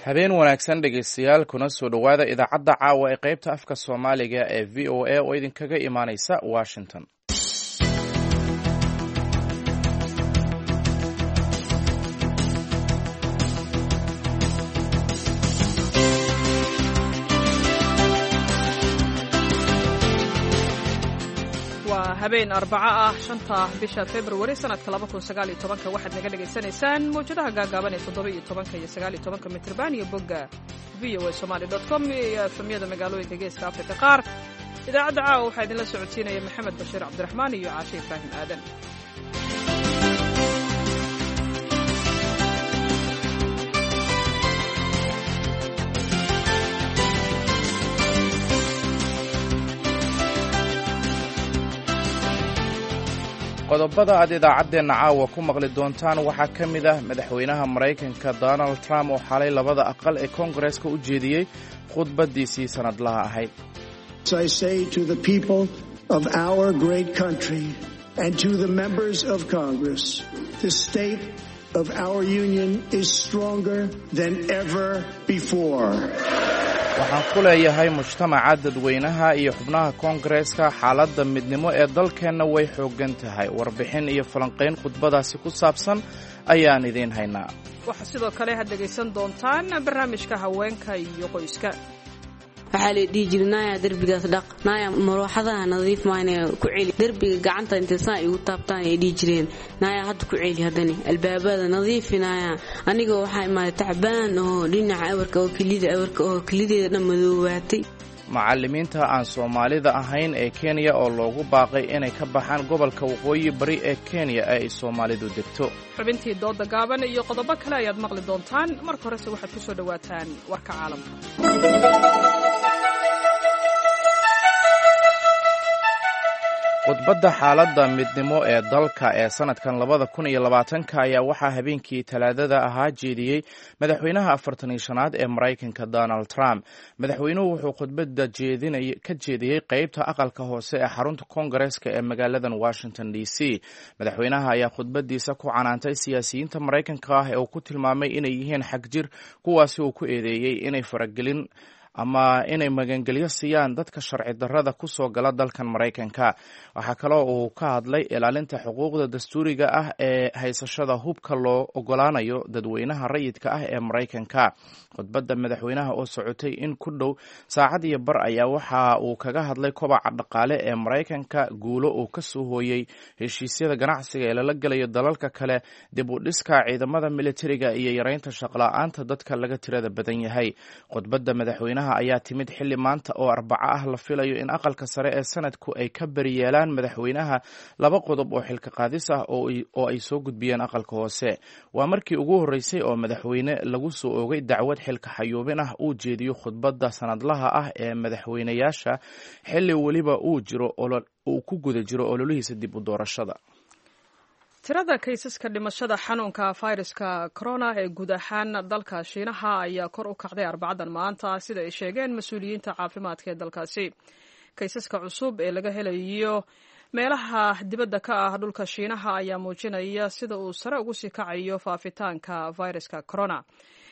Habeen wanaagsan dhegeystayaal, kuna soo dhowaada idaacadda caawa ee qaybta afka Soomaaliga ee VOA oo idinkaga imaaneysa Washington. Waa habeen Arbaco ah, 5-ta bisha Februari sanadka 2019-ka. Waxaad naga dhagaysanaysaan mawjadaha gaagaaban ee 17-ka iyo 19-ka mitrban iyo bogga VOA Somali com iyo efemyada magaalooyinka Geeska Afrika qaar. Idaacadda caawa waxaa idinla socodsiinaya Maxamed Bashiir Cabdiraxmaan iyo Caashe Ibraahim Aadan. Qodobada aad idaacaddeenna caawa ku maqli doontaan waxaa ka mid ah madaxweynaha Maraykanka Donald Trump oo xalay labada aqal ee Koongareeska u jeediyey khudbaddiisii sannadlaha ahayd. Waxaan ku leeyahay mujtamaca dadweynaha iyo xubnaha Koongareeska, xaaladda midnimo ee dalkeenna way xooggan tahay. Warbixin iyo falanqayn khudbadaasi ku saabsan ayaan idiin haynaa. Waxaa sidoo kale had dhegaysan doontaan barnaamijka haweenka iyo qoyska. Waxaa la dhihi jiri, "Naaya, derbigaas dhaq, naaya, marooxadaha nadiif maayna ku celi derbiga, gacanta intay saa igu taabtaan ay dhihi jireen, naaya, hadda ku celi, haddani albaabada nadiifi, naaya." Anigoo waxaa imaaday tacbaan oo dhinaca awarka oo kelida awarka oo kelideeda dhan madoobaatay. Macallimiinta aan Soomaalida ahayn ee Kenya oo loogu baaqay inay ka baxaan gobolka Waqooyi Bari ee Kenya ee ay Soomaalidu degto. Xubintii dooda gaaban iyo qodobo kale ayaad maqli doontaan. Marka horese waxaad ku soo dhowaataan warka caalamka. Khudbadda xaaladda midnimo ee dalka ee sanadkan 2020-ka ayaa waxaa habeenkii Talaadada ahaa jeediyey madaxweynaha 45aad ee Maraykanka Donald Trump. Madaxweynuhu wuxuu khudbadda ka jeediyey qeybta aqalka hoose ee xarunta Koongareeska ee magaaladan Washington D C. Madaxweynaha ayaa khudbadiisa ku canaantay siyaasiyiinta Maraykanka ah ee uu ku tilmaamay inay yihiin xagjir, kuwaasi uu ku eedeeyey inay faragelin ama inay magangelyo siiyaan dadka sharci darrada ku soo gala dalkan Maraykanka. Waxaa kaloo uu ka hadlay ilaalinta xuquuqda dastuuriga ah ee haysashada hubka loo ogolaanayo dadweynaha rayidka ah ee Maraykanka. Khudbadda madaxweynaha oo socotay in ku dhow saacad iyo bar ayaa waxa uu kaga hadlay kobaca dhaqaale ee Maraykanka, guulo uu ka soo hooyey heshiisyada ganacsiga ee lala gelayo dalalka kale, dib u dhiska ciidamada militariga iyo yareynta shaqla-aanta dadka laga tirada badan yahay. Khudbadda madaxweynaha ayaa timid xilli maanta oo Arbaco ah la filayo in aqalka sare ee sanadku ay ka beriyeelaan madaxweynaha laba qodob oo xilka qaadis ah oo ay soo gudbiyeen aqalka hoose. Waa markii ugu horreysay oo madaxweyne lagu soo oogay dacwad xilka xayuubin ah uu jeediyo khudbadda sanadlaha ah ee madaxweynayaasha, xilli weliba uu jiro uu ku guda jiro ololihiisa dib u doorashada. Tirada kaysaska dhimashada xanuunka fayraska corona ee guud ahaan dalka Shiinaha ayaa kor u kacday Arbacadan maanta, sida ay sheegeen mas-uuliyiinta caafimaadka ee dalkaasi. Kaysaska cusub ee laga helayo meelaha dibadda ka ah dhulka Shiinaha ayaa muujinaya sida uu sare ugu sii kacayo faafitaanka fayraska corona.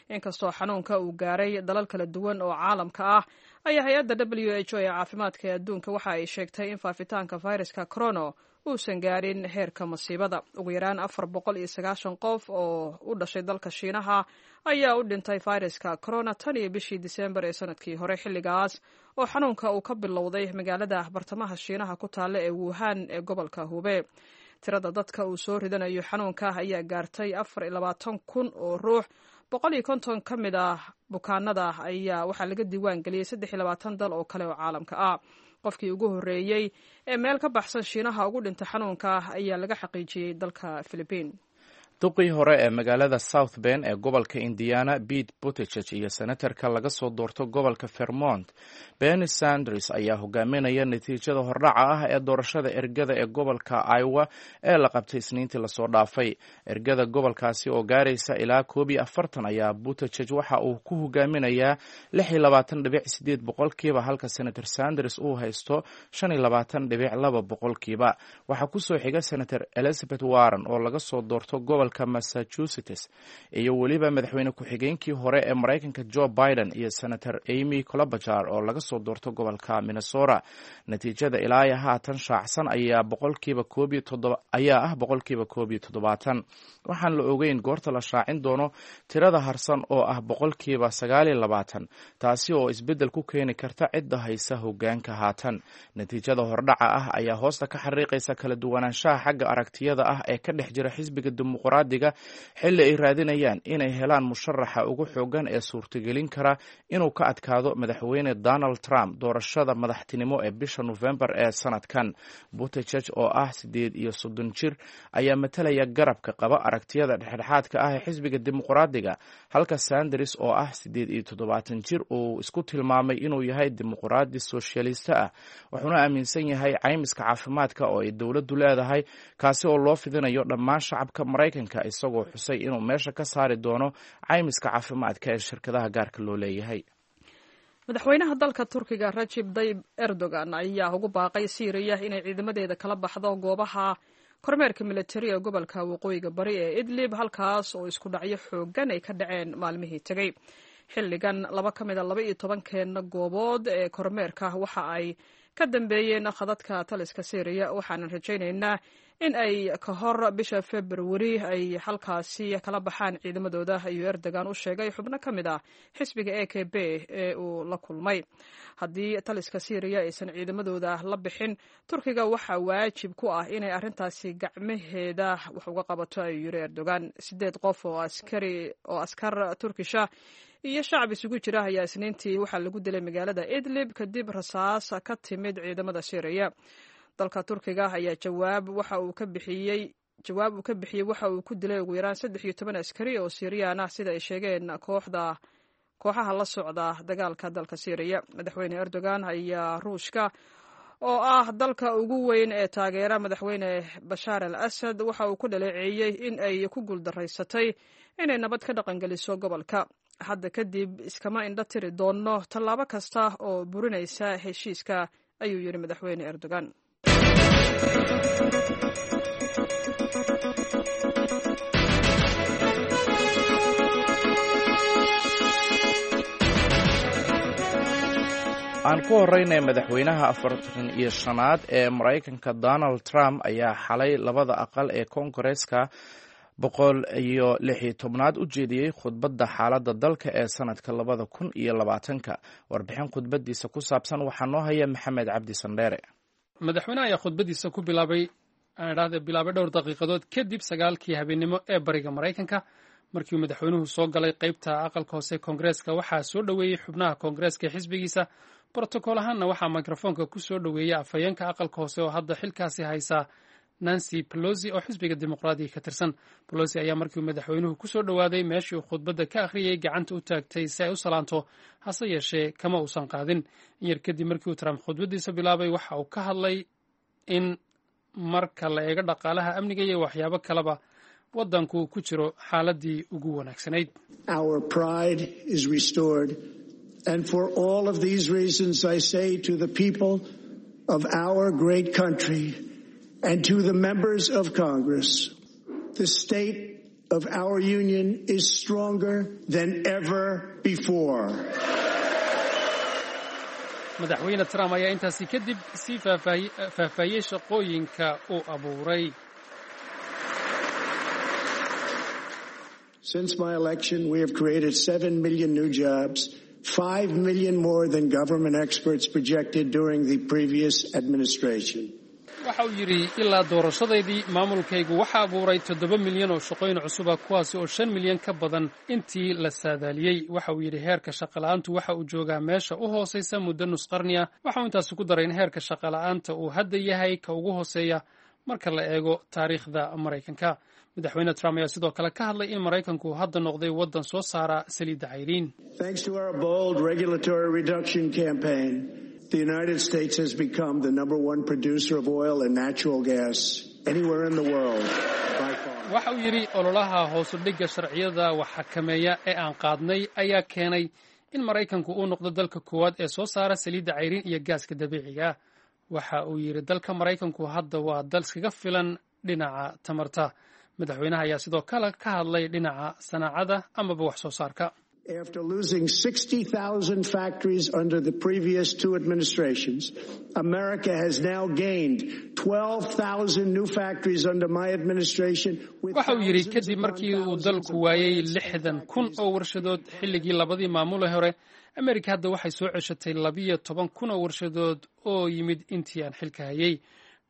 Inkastoo xanuunka uu gaaray dalal kala duwan oo caalamka ah, ayaa hay-adda WHO ee caafimaadka ee adduunka waxa ay sheegtay in faafitaanka fayraska corona uusan gaarin heerka masiibada. Ugu yaraan 490 qof oo u dhashay dalka Shiinaha ayaa u dhintay fayraska corona tan iyo bishii Disembar ee sanadkii hore, xilligaas oo xanuunka uu ka bilowday magaalada bartamaha Shiinaha ku taalla ee Wuhan ee gobolka Hube. Tirada dadka uu soo ridanayo xanuunka ayaa gaartay 24,000 oo ruux. 150 ka mid ah bukaanada ayaa waxaa laga diiwaan geliyey 23 dal oo kale oo caalamka ah. Qofkii ugu horreeyey ee meel ka baxsan Shiinaha ugu dhintay xanuunka ayaa laga xaqiijiyey dalka Philibiin. Duqii hore ee magaalada South Bend ee gobolka Indiana Pete Buttigieg iyo senatarka laga soo doorto gobolka Vermont Bernie Sanders ayaa hogaaminaya natiijada hordhaca ah ee doorashada ergada ee gobolka Iowa ee la qabtay Isniintii lasoo dhaafay. Ergada gobolkaasi oo gaaraysa ilaa 41 ayaa Buttigieg waxa uu ku hogaaminayaa 26.8%, halka Senator Sanders uu haysto 25.2%. Waxaa kusoo xiga Senator Elizabeth Warren oo laga soo doorto gobolka gobolka Massachusetts, iyo weliba madaxweyne ku-xigeenkii hore ee Maraykanka Joe Biden iyo Senator Amy Klobuchar oo laga soo doorto gobolka Minnesota. Natiijada ilaa haatan shaacsan ayaa 1% ayaa ah 71%. Waxaan la ogeyn goorta la shaacin doono tirada harsan oo ah 29%, taasi oo isbeddel ku keeni karta cidda haysa hoggaanka haatan. Natiijada hordhaca ah ayaa hoosta ka xariiqaysa kala duwanaanshaha xagga aragtiyada ah ee ka dhex jira xisbiga Dimuqraadiga, xilli ay raadinayaan inay helaan musharaxa ugu xoogan ee suurtagelin kara inuu ka adkaado madaxweyne Donald Trump doorashada madaxtinimo ee bisha Nofembar ee sanadkan. Buttigieg oo ah 38 jir ayaa matalaya garabka qaba aragtiyada dhexdhexaadka ah ee xisbiga Dimuqraadiga, halka Sanders oo ah 78 jir uu isku tilmaamay inuu yahay dimuqraadi soshiyalista ah, wuxuuna aaminsan yahay caymiska caafimaadka oo ay dowladdu leedahay, kaasi oo loo fidinayo dhammaan shacabka Maraykanka, isagoo xusay inuu meesha ka saari doono caymiska caafimaadka ee shirkadaha gaarka loo leeyahay. Madaxweynaha dalka Turkiga Rajib Dayib Erdogan ayaa ugu baaqay Siiriya inay ciidamadeeda kala baxdo goobaha kormeerka militari ee gobolka waqooyiga bari ee Idlib, halkaas oo isku dhacyo xoogan ay ka dhaceen maalmihii tegey. Xilligan laba ka mid a 12-keena goobood ee kormeerka waxa ay ka dambeeyeen khadadka taliska Syriya, waxaanan rajaynaynaa in ay ka hor bisha Februari ay halkaasi kala baxaan ciidamadooda, ayuu Erdogan u sheegay xubno ka mid ah xisbiga AKP ee uu la kulmay. Haddii taliska Syriya aysan ciidamadooda la bixin, Turkiga waxaa waajib ku ah inay arrintaasi gacmaheeda wax uga qabato, ayuu yiri Erdogan. Sideed qof oo askar Turkisha iyo shacab isugu jira ayaa Isniintii waxaa lagu dilay magaalada Idlib kadib rasaas ka timid ciidamada Syriya. Dalka Turkiga ayaa jawaab waxa uu ka bixiyey jawaab uu ka bixiyey waxa uu ku dilay ugu yaraan 13 askari oo Siiriyaan ah, sida ay sheegeen kooxda kooxaha la socda dagaalka dalka Syriya. Madaxweyne Erdogan ayaa Ruushka oo ah dalka ugu weyn ee taageera madaxweyne Bashaar al Asad waxa uu ku dhaleeceeyey in ay ku guuldaraysatay inay nabad ka dhaqangeliso gobolka. Hadda kadib iskama indho tiri doonno tallaabo kasta oo burinaysa heshiiska, ayuu yidhi madaxweyne Erdogan. Aan ku horeynay, madaxweynaha 45aad ee Maraykanka Donald Trump ayaa xalay labada aqal ee Koongareeska 116aad u jeediyey khudbadda xaaladda dalka ee sanadka 2020-ka. Warbixin khudbaddiisa ku saabsan waxaa noo haya Maxamed Cabdi Sandheere. Madaxweynaha ayaa khudbaddiisa ku bilaabay, aan idhaahde bilaabay, dhowr daqiiqadood kadib 9-kii habeennimo ee bariga Maraykanka. Markii uu madaxweynuhu soo galay qeybta aqalka hoose Koongareeska, waxaa soo dhoweeyey xubnaha Koongareeska ee xisbigiisa. Brotokool ahaanna waxaa mikrofoonka ku soo dhoweeyey afhayeenka aqalka hoose oo hadda xilkaasi haysa, Nancy Pelosi, oo xisbiga Dimuqraadiga ka tirsan. Pelosi ayaa markii uu madaxweynuhu ku soo dhowaaday meeshii uu khudbadda ka akhriyey gacanta u taagtay si ay u salaanto, hase yeeshee kama uusan qaadin. In yar kadib markii uu Trump khudbaddiisa bilaabay, waxa uu ka hadlay in marka la eego dhaqaalaha, amniga iyo waxyaabo kaleba, waddanku ku jiro xaaladii ugu wanaagsanayd. And for all of these reasons, I say to the people of our great country and to the members of Congress, the state of our union is stronger than ever before. Madaxweyne Trump ayaa intaasi kadib sii faahfaahiyey shaqooyinka uu abuuray. Since my election, we have created 7 million new jobs, 5 million more than government experts projected during the previous administration. Waxa uu yidhi, ilaa doorashadaydii maamulkaygu waxa abuuray 7 milyan oo shaqooyin cusuba, kuwaasi oo 5 milyan ka badan intii la saadaaliyey. Waxa uu yidhi, heerka shaqola'aantu waxa uu joogaa meesha u hoosaysa muddo nus qarni ah. Waxa uu intaasi ku daray in heerka shaqola'aanta uu hadda yahay ka ugu hooseeya marka la eego taariikhda Maraykanka. Madaxweyne Trump ayaa sidoo kale ka hadlay in Maraykanku hadda noqday waddan soo saara saliidda cayriin. Thanks to our bold regulatory reduction campaign, the United States has become the number one producer of oil and natural gas anywhere in the world by far. Waxa uu yidhi, ololaha hoosu dhigga sharciyada wax xakameeya ee aan qaadnay ayaa keenay in Maraykanku uu noqdo dalka koowaad ee soo saara saliidda cayriin iyo gaaska dabiiciga. Waxa uu yidhi, dalka Maraykanku hadda waa dal iskaga filan dhinaca tamarta. Madaxweynaha ayaa sidoo kale ka hadlay dhinaca sanaacada amaba wax soo saarka. After losing 60,000 factories under the previous two administrations, America has now gained 12,000 new factories under my administration. Waxa uu yidhi, kadib markii uu dalku waayey 60,000 oo warshadood xilligii labadii maamule hore, Amerika hadda waxay soo ceshatay 12,000 oo warshadood oo yimid intii aan xilka hayay.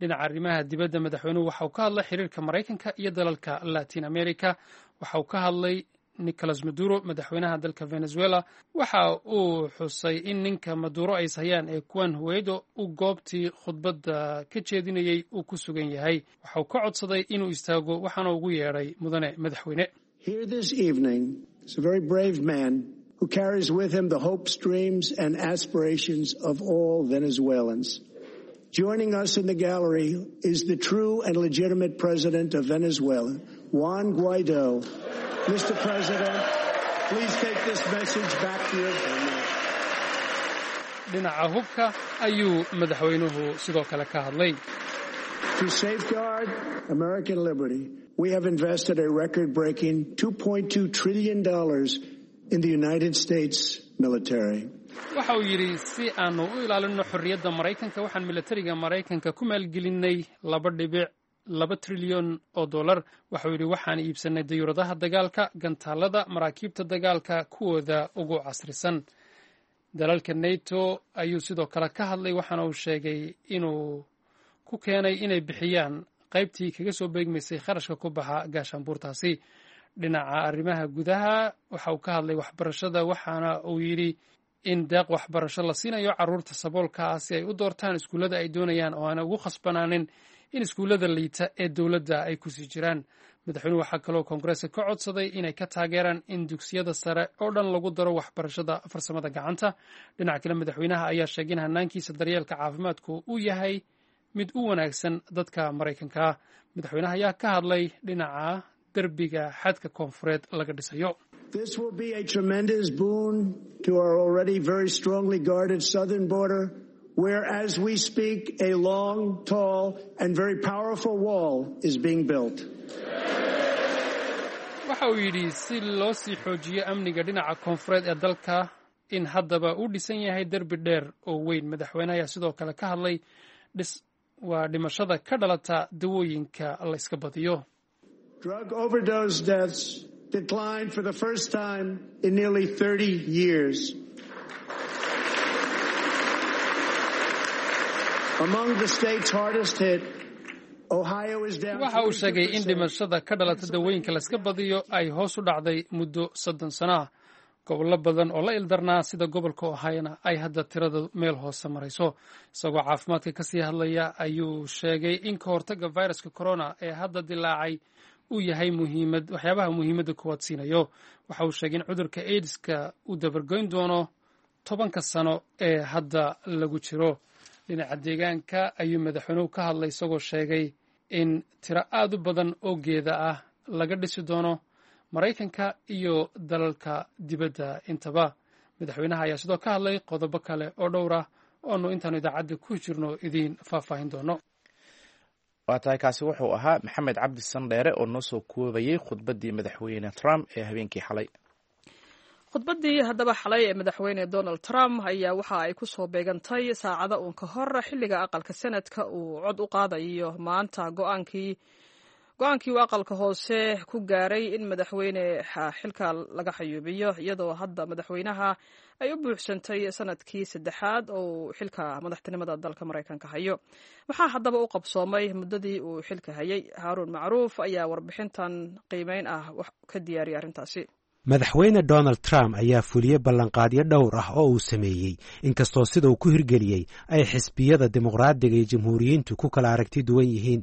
Dhinaca arrimaha dibadda, madaxweynuhu waxa uu ka hadlay xiriirka Maraykanka iyo dalalka Latin America. Waxa uu ka hadlay Nicolas Maduro, madaxweynaha dalka Venezuela. Waxa uu xusay in ninka Maduro ay ishayaan ee Juan Guaido uu goobtii khudbadda ka jeedinayey uu ku sugan yahay. Waxa uu ka codsaday inuu istaago, waxaana ugu yeedhay mudane madaxweyne. Here this evening is a very brave man who carries with him the hopes, dreams, and aspirations of all Venezuelans. Joining us in the gallery is the true and legitimate president of Venezuela, Juan Guaido. Mr. President, please take this message back to your government. Dhinaca hubka ayuu madaxweynuhu sidoo kale ka hadlay. To safeguard American liberty, we have invested a record-breaking $2.2 trillion in the United States military. Waxa uu yidhi, si aanu u ilaalino xorriyadda Maraykanka, waxaan milatariga Maraykanka ku maalgelinay $2.2 trilyan. Waxauu yidhi, waxaan iibsanay dayuuradaha dagaalka, gantaalada, maraakiibta dagaalka kuwooda ugu casrisan. Dalalka NATO ayuu sidoo kale ka hadlay, waxaana uu sheegay inuu ku keenay inay bixiyaan qaybtii kaga soo beegmaysay kharashka ku baxa gaashaanbuurtaasi. Dhinaca arrimaha gudaha, waxa uu ka hadlay waxbarashada, waxaana uu yidhi in deeq waxbarasho la siinayo carruurta saboolka ah si ay u doortaan iskuullada ay doonayaan oo aanay ugu khasbanaanin in iskuullada liita ee dowladda ay kusii jiraan. Madaxweynuhu waxaa kaloo koongareeska ka codsaday inay ka taageeraan in dugsiyada sare oo dhan lagu daro waxbarashada farsamada gacanta. Dhinaca kale, madaxweynaha ayaa sheegay in hanaankiisa daryeelka caafimaadku uu yahay mid u wanaagsan dadka Maraykanka ah. Madaxweynaha ayaa ka hadlay dhinaca derbiga xadka koonfureed laga dhisayo. This will be a tremendous boon to our already very strongly guarded southern border, where, as we speak, a long, tall, and very powerful wall is being built. Waxa uu yidhi, si loo sii xoojiyo amniga dhinaca koonfureed ee dalka, in haddaba uu dhisan yahay derbi dheer oo weyn. Madaxweyne ayaa sidoo kale ka hadlay dhis waa dhimashada ka dhalata dawooyinka la iska badiyo. Drug overdose deaths declined for the first time in nearly 30 years. Among the states hardest hit, Ohio is down. Waxa uu sheegay in dhimashada ka dhalata dawooyinka la iska badiyo ay hoos u dhacday muddo 30 sano ah. Gobollo badan oo la ildarnaa sida gobolka Ohiona ay hadda tirada meel hoose marayso. Isagoo caafimaadka kasii hadlaya ayuu sheegay in ka hortagga viruska corona ee hadda dilaacay uu yahay muhiimad waxyaabaha muhiimadda koowaad siinayo. Waxa uu sheegay in cudurka AIDSka uu dabargoyn doono 10-ka sano ee hadda lagu jiro. Dhinaca deegaanka ayuu madaxweynuhu ka hadlay, isagoo sheegay in tiro aad u badan oo geeda ah laga dhisi doono Maraykanka iyo dalalka dibadda intaba. Madaxweynaha ayaa sidoo ka hadlay qodobo kale oo dhowr ah oonu intaanu idaacadda ku jirno idiin faahfaahin doono. Waa tahay, kaasi wuxuu ahaa Maxamed Cabdi Sandheere oo noo soo koobayey khudbaddii Madaxweyne Trump ee habeenkii xalay. Khudbaddii haddaba xalay ee Madaxweyne Donald Trump ayaa waxa ay ku soo beegantay saacado uun ka hor xilliga aqalka Senadka uu cod u qaadayo maanta go-aankii uu aqalka hoose ku gaaray in madaxweyne xilka laga xayuubiyo, iyadoo hadda madaxweynaha ay u buuxsantay sanadkii saddexaad oo uu xilka madaxtinimada dalka Maraykanka hayo. Maxaa haddaba u qabsoomay muddadii uu xilka hayay? Haaruun Macruuf ayaa warbixintan qiimeyn ah ka diyaariyay arrintaasi. Madaxweyne Donald Trump ayaa fuliyey ballanqaadyo dhowr ah oo uu sameeyey, inkastoo sida uu ku hirgeliyey ay xisbiyada Dimuqraadiga iyo Jamhuuriyiintu ku kala aragti duwan yihiin.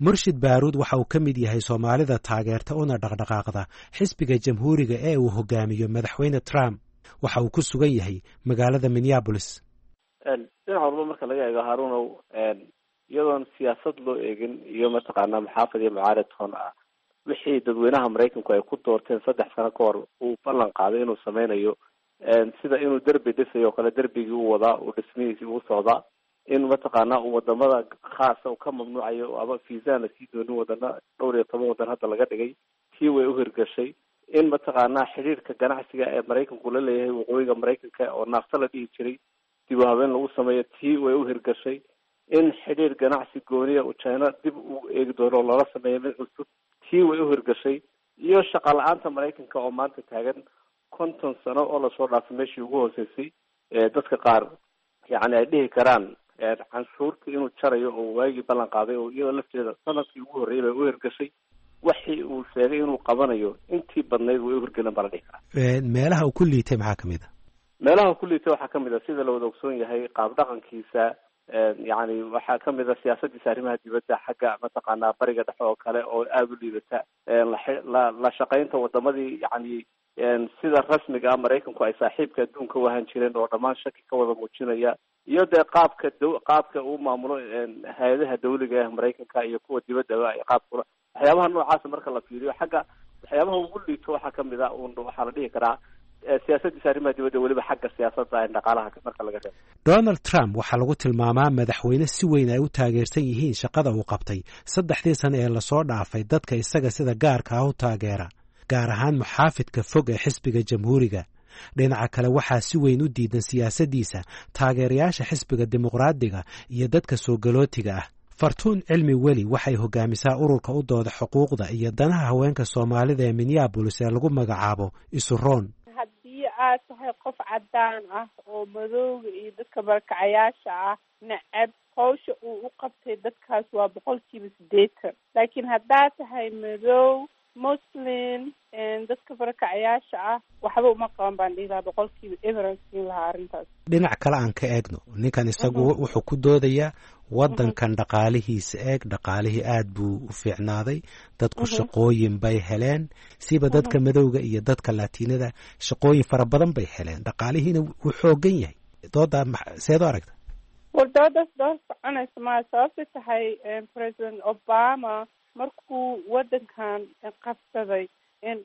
Murshid Baaruud waxa uu ka mid yahay Soomaalida taageerta una dhaqdhaqaaqda xisbiga Jamhuuriga ee uu hogaamiyo Madaxweyne Trump. Waxa uu ku sugan yahay magaalada Minneapolis. Dhinac walba marka laga eego, Harunow, iyadoon siyaasad loo eegin iyo mataqaanaa muxaafid iyo mucaarid toon ah, wixii dadweynaha Maraykanku ay ku doorteen 3 sano ka hor uu ballan qaaday inuu sameynayo, sida inuu derbi dhisayo o kale, derbigii u wadaa, uu dhismihiisii uu socdaa. In mataqaanaa uu wadamada khaasa uu ka mamnuucayo ama fiisaan la sii doonin wadana dhowr iyo toban wadan hadda laga dhigay, tii way uhirgashay. In mataqaanaa xidhiirka ganacsiga ee Maraykanku la leeyahay waqooyiga Maraykanka oo naafta la dhihi jiray dib u habeen lagu sameeyo, tii way uhirgashay. In xidhiir ganacsi gooniya uu China dib u eegi doono oo lala sameeyo mid cusub, tii way uhirgashay. Iyo shaqa la-aanta Maraykanka oo maanta taagan 50 sano oo lasoo dhaafay meeshii ugu hooseysay, dadka qaar yacni ay dhihi karaan canshuurta inuu jarayo oo waagii ballan qaaday oo iyadoo lafteeda sanadkii ugu horreeyay bay uhirgashay. Waxii uu sheegay inuu qabanayo intii badnayd way uhirgelin baa la dhihi karaa. Meelaha uu ku liitay maxaa kamid a? Meelaha uu ku liitay waxaa kamid a, sida la wada ogsoon yahay, qaab dhaqankiisa. Yacni waxaa kamid a siyaasadiisa arrimaha dibadda, xagga mataqaanaa bariga dhexe oo kale oo aada u liidata, la shaqaynta wadamadii yacni sida rasmiga ah Maraykanku ay saaxiibka adduunka u ahaan jireen oo dhammaan shaki ka wada muujinaya, iyo dee qaabka qaabka uu maamulo hay-adaha dawliga ah Maraykanka iyo kuwa dibaddaba ay qaabkula waxyaabaha noocaasa marka la fiiriyo. Xagga waxyaabaha ugu liito waxaa kamid a un waxaa la dhihi karaa siyaasadiisa arrimaha dibadda, weliba xagga siyaasadda dhaqaalaha marka laga reebo. Donald Trump waxaa lagu tilmaamaa madaxweyne si weyn ay u taageersan yihiin shaqada uu qabtay 3dii sano ee lasoo dhaafay dadka isaga sida gaarka ah u taageera, gaar ahaan muxaafidka fog ee xisbiga Jamhuuriga. Dhinaca kale, waxaa si weyn u diidan siyaasaddiisa taageerayaasha xisbiga Dimuqraadiga iyo dadka soo galootiga ah. Fartuun Cilmi Weli waxay hogaamisaa ururka u dooda xuquuqda iyo danaha haweenka Soomaalida ee Minneabolis ee lagu magacaabo Isuroon. Haddii aad tahay qof cadaan ah oo madowga iyo dadka barakacayaasha ah necab, hawsha uu u qabtay dadkaas waa 80%. Laakiin haddaad tahay madow, Muslim, dadka barakacayaasha ah waxba uma qaban baan dhihi lahaa, 0% siin lahaa arrintaas. Dhinac kale aan ka eegno ninkan, isagu wuxuu ku doodayaa waddankan dhaqaalihiisa eeg, dhaqaalihii aad buu u fiicnaaday, dadku shaqooyin bay heleen, siba dadka madowga iyo dadka Laatiinada shaqooyin fara badan bay heleen, dhaqaalihiina wuu xoogan yahay. Doodaa seed u aragta? War, doodaas dood soconaysa maa. Sababta tahay, President Obama markuu waddankan qabsaday,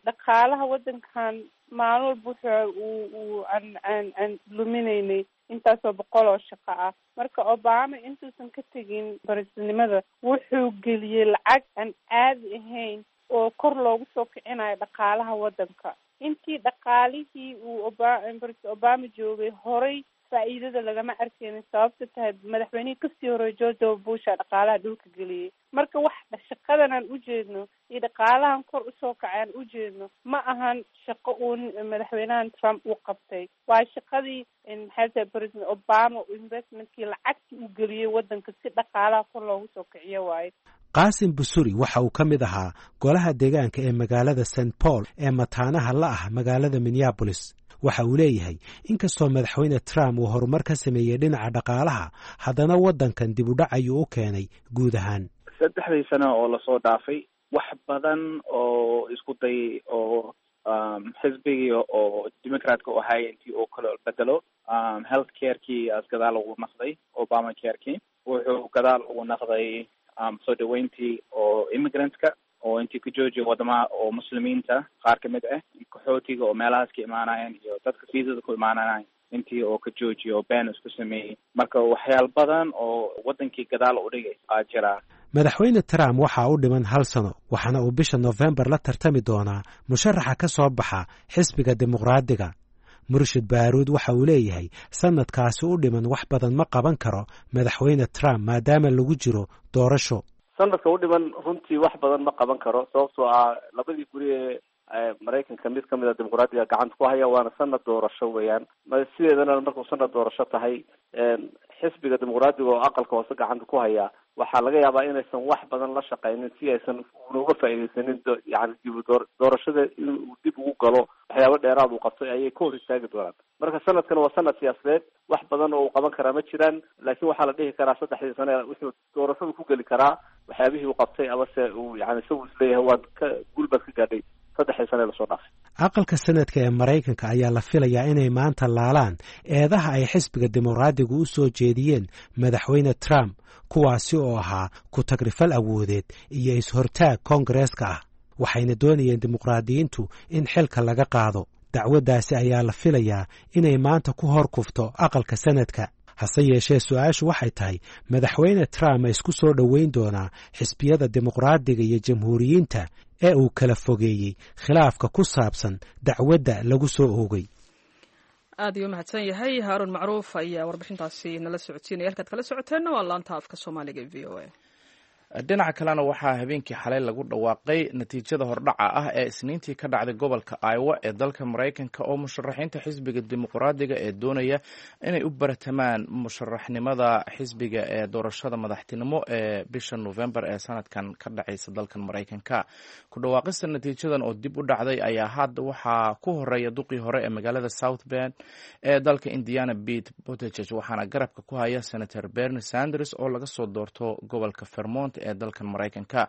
dhaqaalaha waddankan maalin walba wuxuu uu aan aan aan luminaynay intaasoo boqol oo shaqo ah. Marka Obama intuusan ka tegin presidentnimada wuxuu geliyey lacag aan caadi ahayn oo kor loogu soo kicinayo dhaqaalaha waddanka. Intii dhaqaalihii uu President Obama joogay horay faa'iidada lagama arkeynin. Sababta tahay, madaxweynihii kasii horreeyay, George W. Bush, dhaqaalaha dhulka geliyey. Marka wax shaqadan aan ujeedno iyo dhaqaalahan kor usoo kacay aan ujeedno ma ahan shaqo uu madaxweynahan Trump uu qabtay, waa shaqadii, maxay tahay, President Obama investmentkii lacagtii uu geliyey waddanka si dhaqaalaha kor loogu soo kiciyo waaye. Qaasim Busuri waxa uu ka mid ahaa golaha deegaanka ee magaalada St Paul ee mataanaha la ah magaalada Minneabolis. Waxa uu leeyahay, inkastoo madaxweyne Trump uu horumar ka sameeyey dhinaca dhaqaalaha, haddana waddankan dib u dhac ayuu u keenay guud ahaan. 3dii sano oo lasoo dhaafay wax badan oo isku day oo xisbigii oo Democratka u ahay intii uu kala bedelo health carekii as gadaal ugu naqday, Obama carekii wuxuu gadaal ugu naqday, soo dhaweyntii oo immigrantka oo intii ka joojiya wadamaha oo Muslimiinta qaar kamid ah, qaxootiga oo meelahaas ka imaanayaan iyo dadka fiisada ku imaanayaan intii oo ka joojiyo oo been isku sameeyey. Marka waxyaal badan oo wadankii gadaal u dhigay aa jiraa. Madaxweyne Trump waxaa u dhiman hal sano, waxaana uu bisha Nofembar la tartami doonaa musharaxa ka soo baxa xisbiga Dimuqraadiga. Murshid Baaruud waxa uu leeyahay, sanadkaasi u dhiman wax badan ma qaban karo madaxweyne Trump maadaama lagu jiro doorasho. Sanadka u dhiman runtii wax badan ma qaban karo, sababtoo ah labadii guri ee Maraykanka mid kamid a Dimuqraadiga gacanta ku haya, waana sanad doorasho weeyaan. Sideedana markuu sanad doorasho tahay, xisbiga Dimuqraadiga oo aqalka hoose gacanta ku haya waxaa laga yaabaa inaysan wax badan la shaqaynin si aysan una uga faa'iidaysanin yani dib doorashada inuu dib ugu galo. Waxyaabo dheeraad uu qabtay ayay ka hor istaagi doonaan. Marka sanadkan waa sanad siyaasadeed, wax badan oo uu qaban karaa ma jiraan, laakiin waxaa la dhihi karaa 3dii sane wuxuu doorashadu ku geli karaa waxyaabihii uu qabtay amase uu yani isagu isleeyahay waad ka guul baad ka gaadhay 3dii sane lasoo dhaafay. Aqalka Sanadka ee Maraykanka ayaa la filayaa inay maanta laalaan eedaha ay xisbiga Dimuqraadigu u soo jeediyeen madaxweyne Trump, kuwaasi oo ahaa ku tagrifal awoodeed iyo is-hortaag koongareeska ah. Waxayna doonayeen dimuqraadiyiintu in xilka laga qaado. Dacwaddaasi ayaa la filayaa inay maanta ku hor kufto aqalka Sanadka. Hase yeeshee, su-aashu waxay tahay, Madaxweyne Trump ma isku soo dhoweyn doonaa xisbiyada Dimuqraadiga iyo Jamhuuriyiinta ee uu kala fogeeyey khilaafka ku saabsan dacwadda lagu soo oogay? Aad ayuu mahadsan yahay Haaruun Macruuf ayaa warbixintaasi nala socodsiinaya. Halkaad kala socoteenna waa laanta afka Soomaaliga ee VOA. Dhinaca kalena, waxaa habeenkii xalay lagu dhawaaqay natiijada hordhaca ah ee Isniintii ka dhacday gobolka Iowa ee dalka Maraykanka, oo musharaxiinta xisbiga Dimuqraadiga ee doonaya inay u baratamaan musharaxnimada xisbiga ee doorashada madaxtinimo ee bisha Novembar ee sanadkan ka dhacaysa dalkan Maraykanka. Ku dhawaaqista natiijadan oo dib u dhacday ayaa hadda waxaa ku horeeya duqii hore ee magaalada South Bend ee dalka Indiana, Pete Buttigieg, waxaana garabka ku haya Senator Bernie Sanders oo laga soo doorto gobolka Vermont ee dalkan Maraykanka.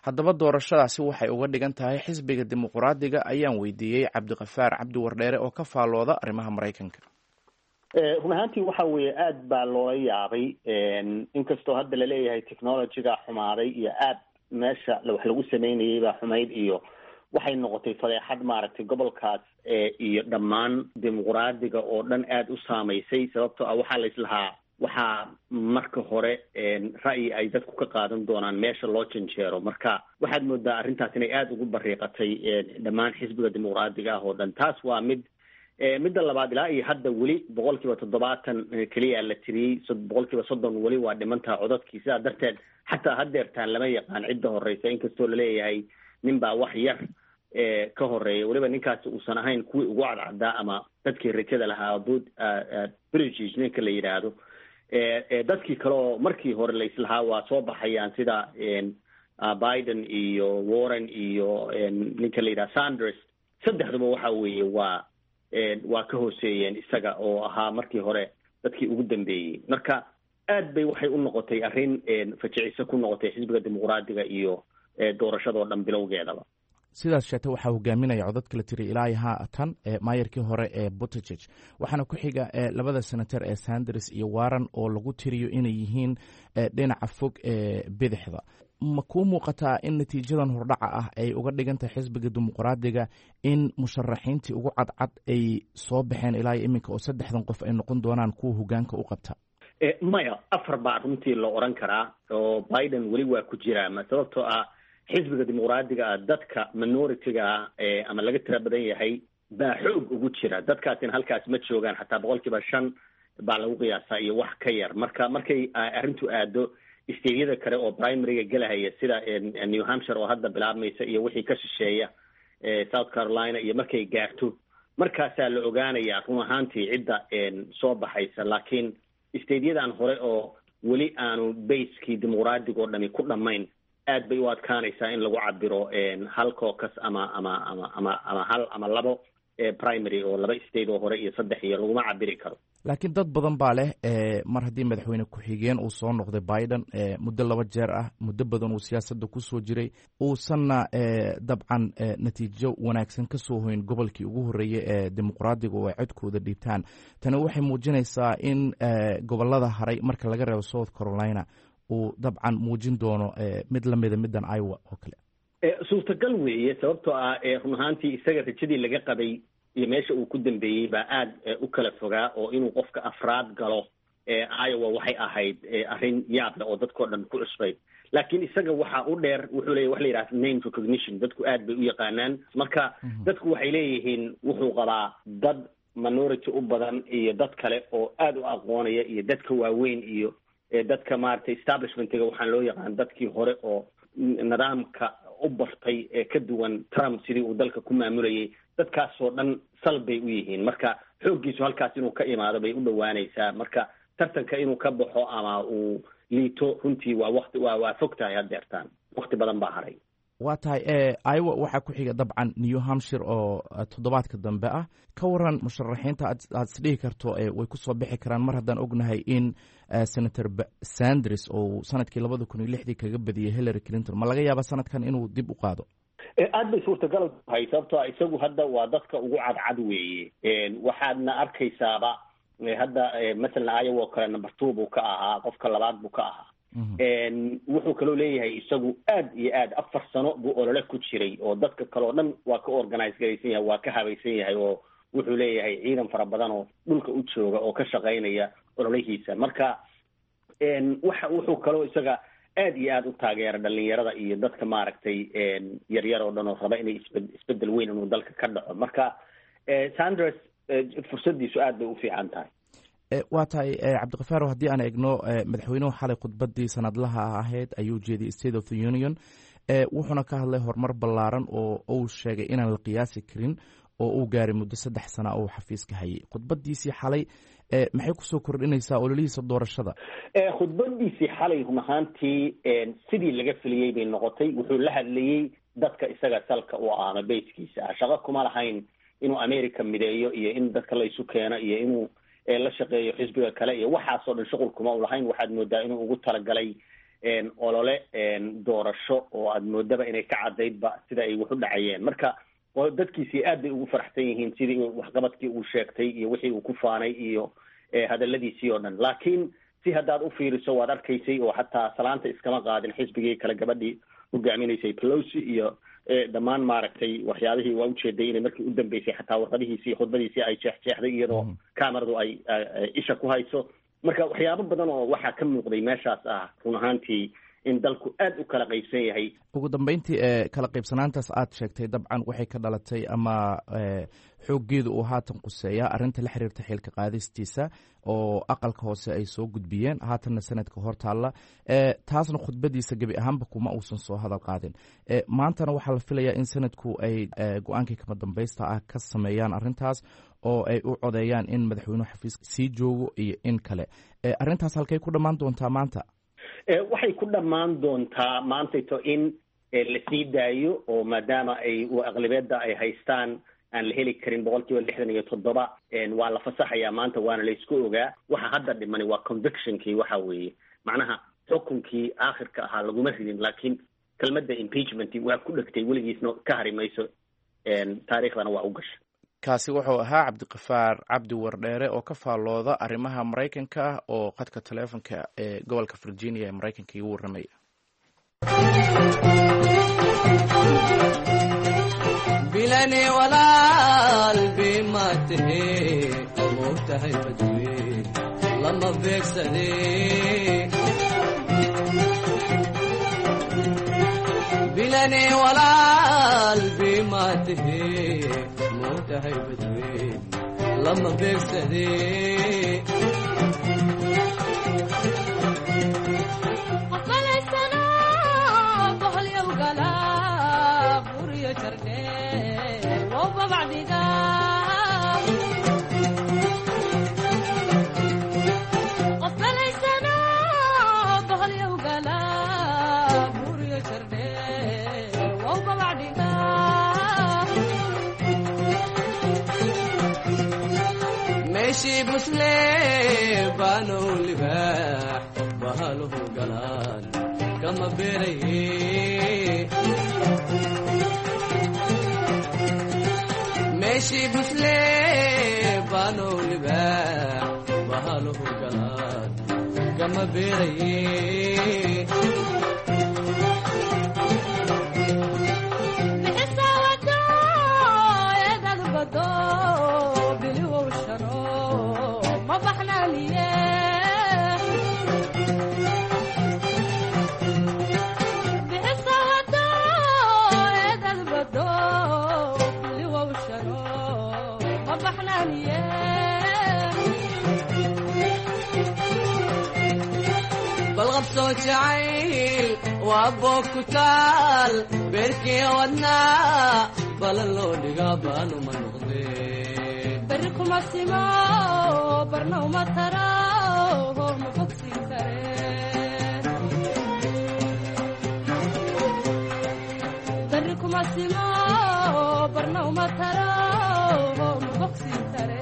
Haddaba, doorashadaasi waxay uga dhigan tahay xisbiga Dimuqraadiga ayaan weydiiyey Cabdiqafaar Cabdi Wardheere oo ka faallooda arrimaha Maraykanka. Run ahaantii waxa weeye aad baa loola yaabay, inkastoo hadda laleeyahay technology-ga xumaaday iyo aad meesha wax lagu sameynayay baa xumayd, iyo waxay noqotay fadeexad maaragtay gobolkaas iyo dhammaan Dimuqraadiga oo dhan aada u saamaysay, sababtoo ah waxaa la islahaa waxaa marka hore ra'yi ay dadku ka qaadan doonaan meesha loo janjeero. Marka waxaad moodaa arrintaas inay aada ugu bariiqatay dhammaan xisbiga Dimuqraadiga ah oo dhan. Taas waa mid. Midda labaad, ilaa iyo hadda weli 70% keliya la tiriyey, 30% weli waa dhimantaha codadkii. Sidaa darteed xataa haddeertaan lama yaqaan cidda horeysa, inkastoo laleeyahay nin baa wax yar ka horeeya, weliba ninkaasi uusan ahayn kuwii ugu cadcaddaa ama dadkii rajada lahaa, Buttigieg ninka la yidhaahdo. Dadkii kale oo markii hore la islahaa waa soo baxayaan, sida Biden iyo Warren iyo ninka la yidhaha Sanders, saddexduba waxa weeye waa ka hooseeyeen isaga oo ahaa markii hore dadkii ugu dambeeyey. Marka aad bay waxay u noqotay arrin fajiciso ku noqotay xisbiga Dimuqraadiga iyo doorashadoo dhan bilowgeedaba. Sidaas sheegtay, waxaa hogaaminaya codadka la tiriy ilaa haatan maayarkii hore ee Buttigieg, waxaana ku xiga labada senator ee Sanders iyo Warren oo lagu tiriyo inay yihiin dhinaca fog ee bidixda. Ma kuu muuqataa in natiijadan hordhaca ah ay uga dhigan tahay xisbiga Dimuqraadiga in musharaxiintii ugu cadcad ay soo baxeen ilaa iyo iminka, oo saddexdan qof ay noqon doonaan kuwa hogaanka u qabta? Maya, afar baa runtii la oran karaa, oo Biden weli waa ku jiraa, sababtoo ah xisbiga Dimuqraadiga ah dadka minority-ga ah ama laga tira badan yahay baa xoog ugu jira. Dadkaasina halkaas ma joogaan, xataa 5% baa lagu qiyaasaa iyo wax ka yar. Marka markay arrintu aado state-yada kale oo primary-ga gelahaya, sida New Hampshire oo hadda bilaabmaysa iyo wixii ka shisheeya, South Carolina iyo markay gaarto, markaasaa la ogaanayaa run ahaantii cidda soo baxaysa. Laakiin state-yadan hore oo weli aanu base-kii Dimuqraadiga oo dhami ku dhammayn, aad bay u adkaanaysaa in lagu cabiro hal caucus ama hal ama labo primary oo laba state oo hore iyo saddex iyo laguma cabiri karo. Laakiin dad badan baa leh, mar haddii madaxweyne ku-xigeen uu soo noqday Biden muddo laba jeer ah, muddo badan uu siyaasadda kusoo jiray, uusanna dabcan natiijo wanaagsan ka soo hoyn gobolkii ugu horreeyey ee Dimuqraadiga oo ay codkooda dhiibtaan, tani waxay muujinaysaa in gobolada haray, marka laga reebo South Carolina, uu dabcan muujin doono mid lamida middan Iowa oo kale. Suurtagal weeye, sababtoo ah run ahaantii isaga rajadii laga qabay iyo meesha uu ku dambeeyey baa aad u kala fogaa, oo inuu qofka afraad galo Iowa waxay ahayd arrin yaab leh oo dadkao dhan ku cusbay. Laakiin isaga waxa u dheer wuxuu leeyahy wax la yidhaha name recognition, dadku aad bay u yaqaanaan. Marka dadku waxay leeyihiin wuxuu qabaa dad minority u badan iyo dad kale oo aad u aqoonaya iyo dadka waaweyn iyo dadka maaragtay establishment-iga waxaan loo yaqaan, dadkii hore oo nidaamka u bartay ee ka duwan Trump sidii uu dalka ku maamulayay. Dadkaasoo dhan sal bay u yihiin. Marka xooggiisu halkaas inuu ka imaado bay u dhowaanaysaa. Marka tartanka inuu ka baxo ama uu liito runtii waa waqti waa fog tahay haddeertaan, waqti badan baa haray. Waa tahay. Iowa waxaa ku xiga dabcan New Hampshire oo toddobaadka dambe ah. Ka waran musharaxiinta aad isdhihi karto way kusoo bixi karaan, mar haddaan ognahay in Senator Sanders oo sanadkii 2006-dii kaga badiyey Hillary Clinton, ma laga yaaba sanadkan inuu dib u qaado? Aad bay suurtagal tahay, sababtoo ah isagu hadda waa dadka ugu cadcad weeye. Waxaadna arkaysaaba hadda masalan Iowa oo kale number two buu ka ahaa, qofka labaad buu ka ahaa. Wuxuu kaloo leeyahay isagu aad iyo aad 4 sano buu olole ku jiray, oo dadka kale oo dhan waa ka organize garaysan yahay, waa ka habaysan yahay, oo wuxuu leeyahay ciidan fara badan oo dhulka u jooga oo ka shaqaynaya. ololihiisa. Marka waxa wuxuu kaloo isaga aad iyo aada u taageera dhalinyarada iyo dadka maaragtay yaryar oo dhan oo raba inay isbedel weyn inuu dalka ka dhaco. Marka Sanders fursadiisu aad bay u fiican tahay. Waa tahay, Cabdiqafaar, haddii aan eegno madaxweynuhu xalay khudbadii sanadlaha ahayd ayuu jeediyey, State of the Union, wuxuuna ka hadlay horumar ballaaran oo uu sheegay inaan la qiyaasi karin oo uu gaaray muddo 3 sana oo xafiiska hayay. Khudbadiisii xalay maxay kusoo kordhinaysaa ololihiisa doorashada? Khudbadiisii xalay run ahaantii sidii laga filiyey bay noqotay. Wuxuu la hadlayey dadka isaga salka u ah ama bayskiisa ah. Shaqo kuma lahayn inuu America mideeyo iyo in dadka la isu keeno iyo inuu la shaqeeyo xisbiga kale iyo waxaasoo dhan shuqul kuma u lahayn. Waxaad moodaa inuu ugu talagalay olole doorasho oo aad moodaba inay ka cadaydba sida ay wax u dhacayeen. Marka dadkiisii aad bay ugu faraxsan yihiin sidii waxqabadkii uu sheegtay iyo wixii uu ku faanay iyo hadaladiisii oo dhan. Laakiin si haddaad u fiiriso waad arkaysay oo xataa salaanta iskama qaadin xisbigii kale, gabadhii hogaaminaysay Pelosi iyo dhammaan maaragtay waxyaabihii waa ujeeday inay markii u dambeysay xataa warqadihiisii khudbadiisii ay jeexjeexday iyadoo kameradu ay isha ku hayso. Marka waxyaabo badan oo waxaa ka muuqday meeshaas ah run ahaantii in dalku aad u kala qaybsan yahay. Ugu dambeyntii, kala qaybsanaantaas aad sheegtay dabcan waxay ka dhalatay ama xooggeedu uu haatan quseeyaa arrinta la xiriirta xilka qaadistiisa oo aqalka hoose ay soo gudbiyeen, haatanna sanadka hor taalla. Taasna khudbadiisa gebi ahaanba kuma uusan soo hadal qaadin. Maantana waxaa la filayaa in sanadku ay go-aankii kama dambaysta ah ka sameeyaan arrintaas oo ay u codeeyaan in madaxweynuhu xafiiska sii joogo iyo in kale. Arrintaas halkay ku dhammaan doontaa maanta? Waxay ku dhammaan doontaa maantayto in la sii daayo oo maadaama ay aqlibeedda ay haystaan aan la heli karin 67%, waa la fasaxayaa maanta, waana la isku ogaa. Waxa hadda dhimani waa convictionkii, waxa weeye macnaha xukunkii aakhirka ahaa laguma ridin, laakiin kelmadda impeachment waa ku dhegtay, weligiisna ka hari mayso, taariikhdana waa u gashay. Kaasi wuxuu ahaa Cabdiqafaar Cabdi Wardheere oo ka faallooda arrimaha Maraykanka ah oo khadka taleefonka ee gobolka Virginia ee Maraykanka igu warramaya. Bilani walaal bima tahe, moogtahay badwe lama beegsade. Bilani walaal bima tahe, moogtahay badwe lama beegsade. Meeshii buslee baanow libaax bahaluhu galaan kama beeraye. Meeshii buslee baanow libaax bahaluhu galaan kama beeraye. Balqabsoo jacayl waa boog ku taal beerkii wadnaa balan loo dhigaa baanuma noqdee. Beri kuma simo, barna uma tara, ma bogsin kare. Beri kuma simo, barna uma tara, ma bogsin kare.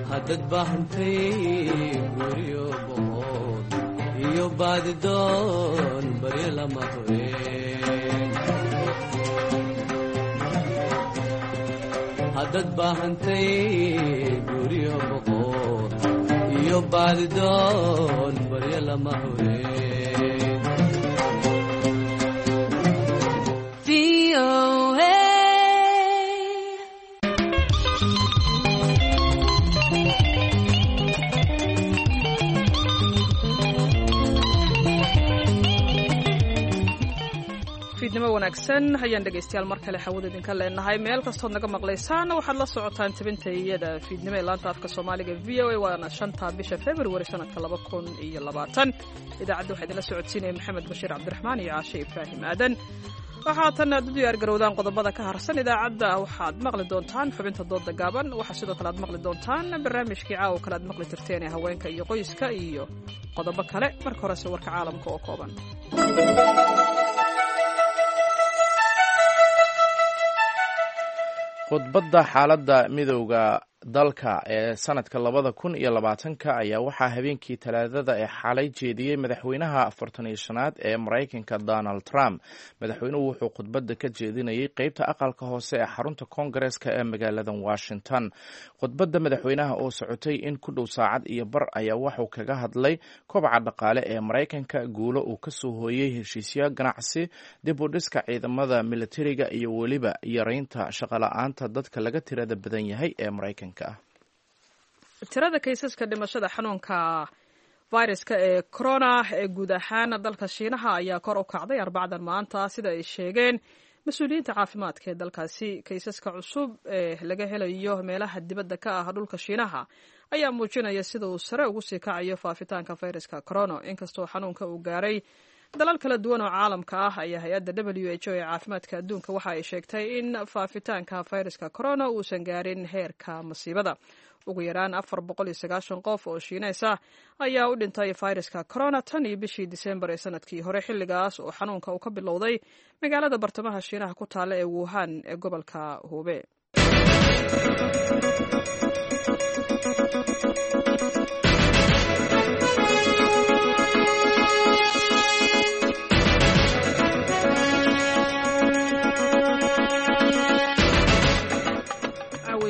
Haddad baahantay guryo boqol iyo baadidoon baryo lama hubeen. Haddad baahantay guryo boqol iyo baadidoon baryo lama hubeen. VOA. Fiidnimo wanaagsan ayaan dhegaystayaal mar kale xawada idinka leenahay. Meel kastood naga maqlaysaan waxaad la socotaan tabinta iyada fiidnimo ee laanta afka Soomaaliga v o a, waana 5-ta bisha February sanadka 2020. Idaacadda waxaa idinla socodsiinaya Maxamed Bashiir Cabdiraxmaan iyo Caashe Ibraahim Aadan. Waxaa tan aad u diyaar garowdaan qodobada ka harsan idaacadda. Waxaad maqli doontaan xubinta dooda gaaban, waxaa sidoo kale aad maqli doontaan barnaamijkii caawa kale aad maqli jirteen ee haweenka iyo qoyska iyo qodobo kale. Marka horese warka caalamka oo kooban. Khudbadda xaaladda midowda dalka ee sanadka 2020-ka ayaa waxaa habeenkii Talaadada ee xalay jeediyey madaxweynaha 45aad ee Maraykanka Donald Trump. Madaxweynuhu wuxuu khudbadda ka jeedinayay qeybta aqalka hoose ee xarunta koongareeska ee magaalada Washington. Khudbadda madaxweynaha oo socotay in ku dhow saacad iyo bar ayaa wuxuu kaga hadlay kobaca dhaqaale ee Maraykanka, guulo uu kasoo hooyey heshiisyo ganacsi, dib u dhiska ciidamada militariga iyo weliba yareynta shaqola'aanta dadka laga tirada badan yahay ee Maraykanka. Tirada kaysaska dhimashada xanuunka viruska ee corona ee guud ahaan dalka Shiinaha ayaa kor u kacday Arbacdan maanta, sida ay sheegeen mas-uuliyiinta caafimaadka ee dalkaasi. Kaysaska cusub ee laga helayo meelaha dibadda ka ah dhulka Shiinaha ayaa muujinaya sida uu sare ugu sii kacayo faafitaanka viruska corona. Inkastoo xanuunka uu gaaray dalal kala duwan oo caalamka ah, ayaa hay-adda WHO ee caafimaadka adduunka waxa ay sheegtay in faafitaanka viruska corona uusan gaarin heerka masiibada. Ugu yaraan 490 qof oo Shiineys ah ayaa u dhintay viruska corona tan iyo bishii Disembar ee sanadkii hore, xilligaas oo xanuunka uu ka bilowday magaalada bartamaha Shiinaha ku taalla ee Wuhan ee gobolka Hube.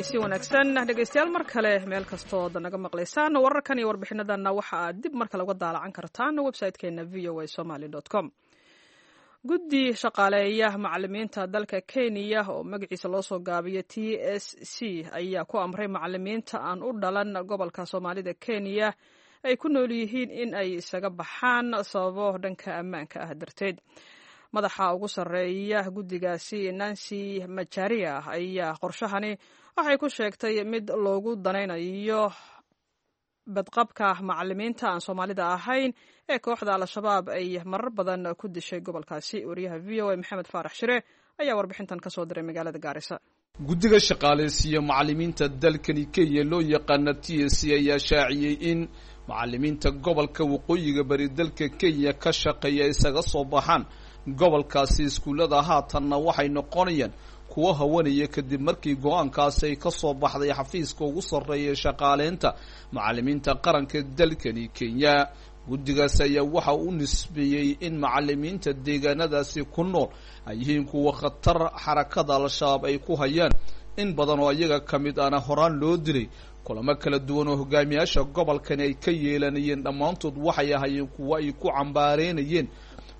Si wanaagsan dhegaystayaal mar kale meel kastood naga maqlaysaan. Wararkan iyo warbixinadanna waxa aad dib mar kale uga daalacan kartaan website-keena v o a somaly com. Guddi shaqaaleeya macalimiinta dalka Kenya oo magaciisa loo soo gaabiyo T S C ayaa ku amray macalimiinta aan u dhalan gobolka Soomaalida Kenya ay ku nool yihiin in ay isaga baxaan sababo dhanka ammaanka ah darteed. Madaxa ugu sarreeya guddigaasi, Nancy Macharia, ayaa qorshahani waxay ku sheegtay mid loogu danaynayo badqabka macalimiinta aan Soomaalida ahayn ee kooxda Al-Shabaab ay marar badan ku dishay gobolkaasi. Wariyaha v o a Maxamed Faarax Shire ayaa warbixintan ka soo diray magaalada Gaarisa. Guddiga shaqaalaysiiya macalimiinta dalkani Kenya loo yaqaana T S C ayaa shaaciyey in macalimiinta gobolka waqooyiga bari dalka Kenya ka shaqeeya isaga soo baxaan gobolkaasi. Iskuullada haatanna waxay noqonayaan kuwo hawanaya kadib markii go-aankaasi ay ka soo baxday xafiiska ugu sarreeya shaqaaleynta macalimiinta qaranka dalkani Kenya. Guddigaas ayaa waxa uu nisbeeyey in macalimiinta deegaanadaasi ku nool ay yihiin kuwa khatar xarakada Al-Shabaab ay ku hayaan, in badan oo iyaga ka mid ahna horaan loo dilay. Kulamo kala duwan oo hogaamiyaasha gobolkani ay ka yeelanayeen dhammaantood waxay ahaayeen kuwo ay ku cambaareynayeen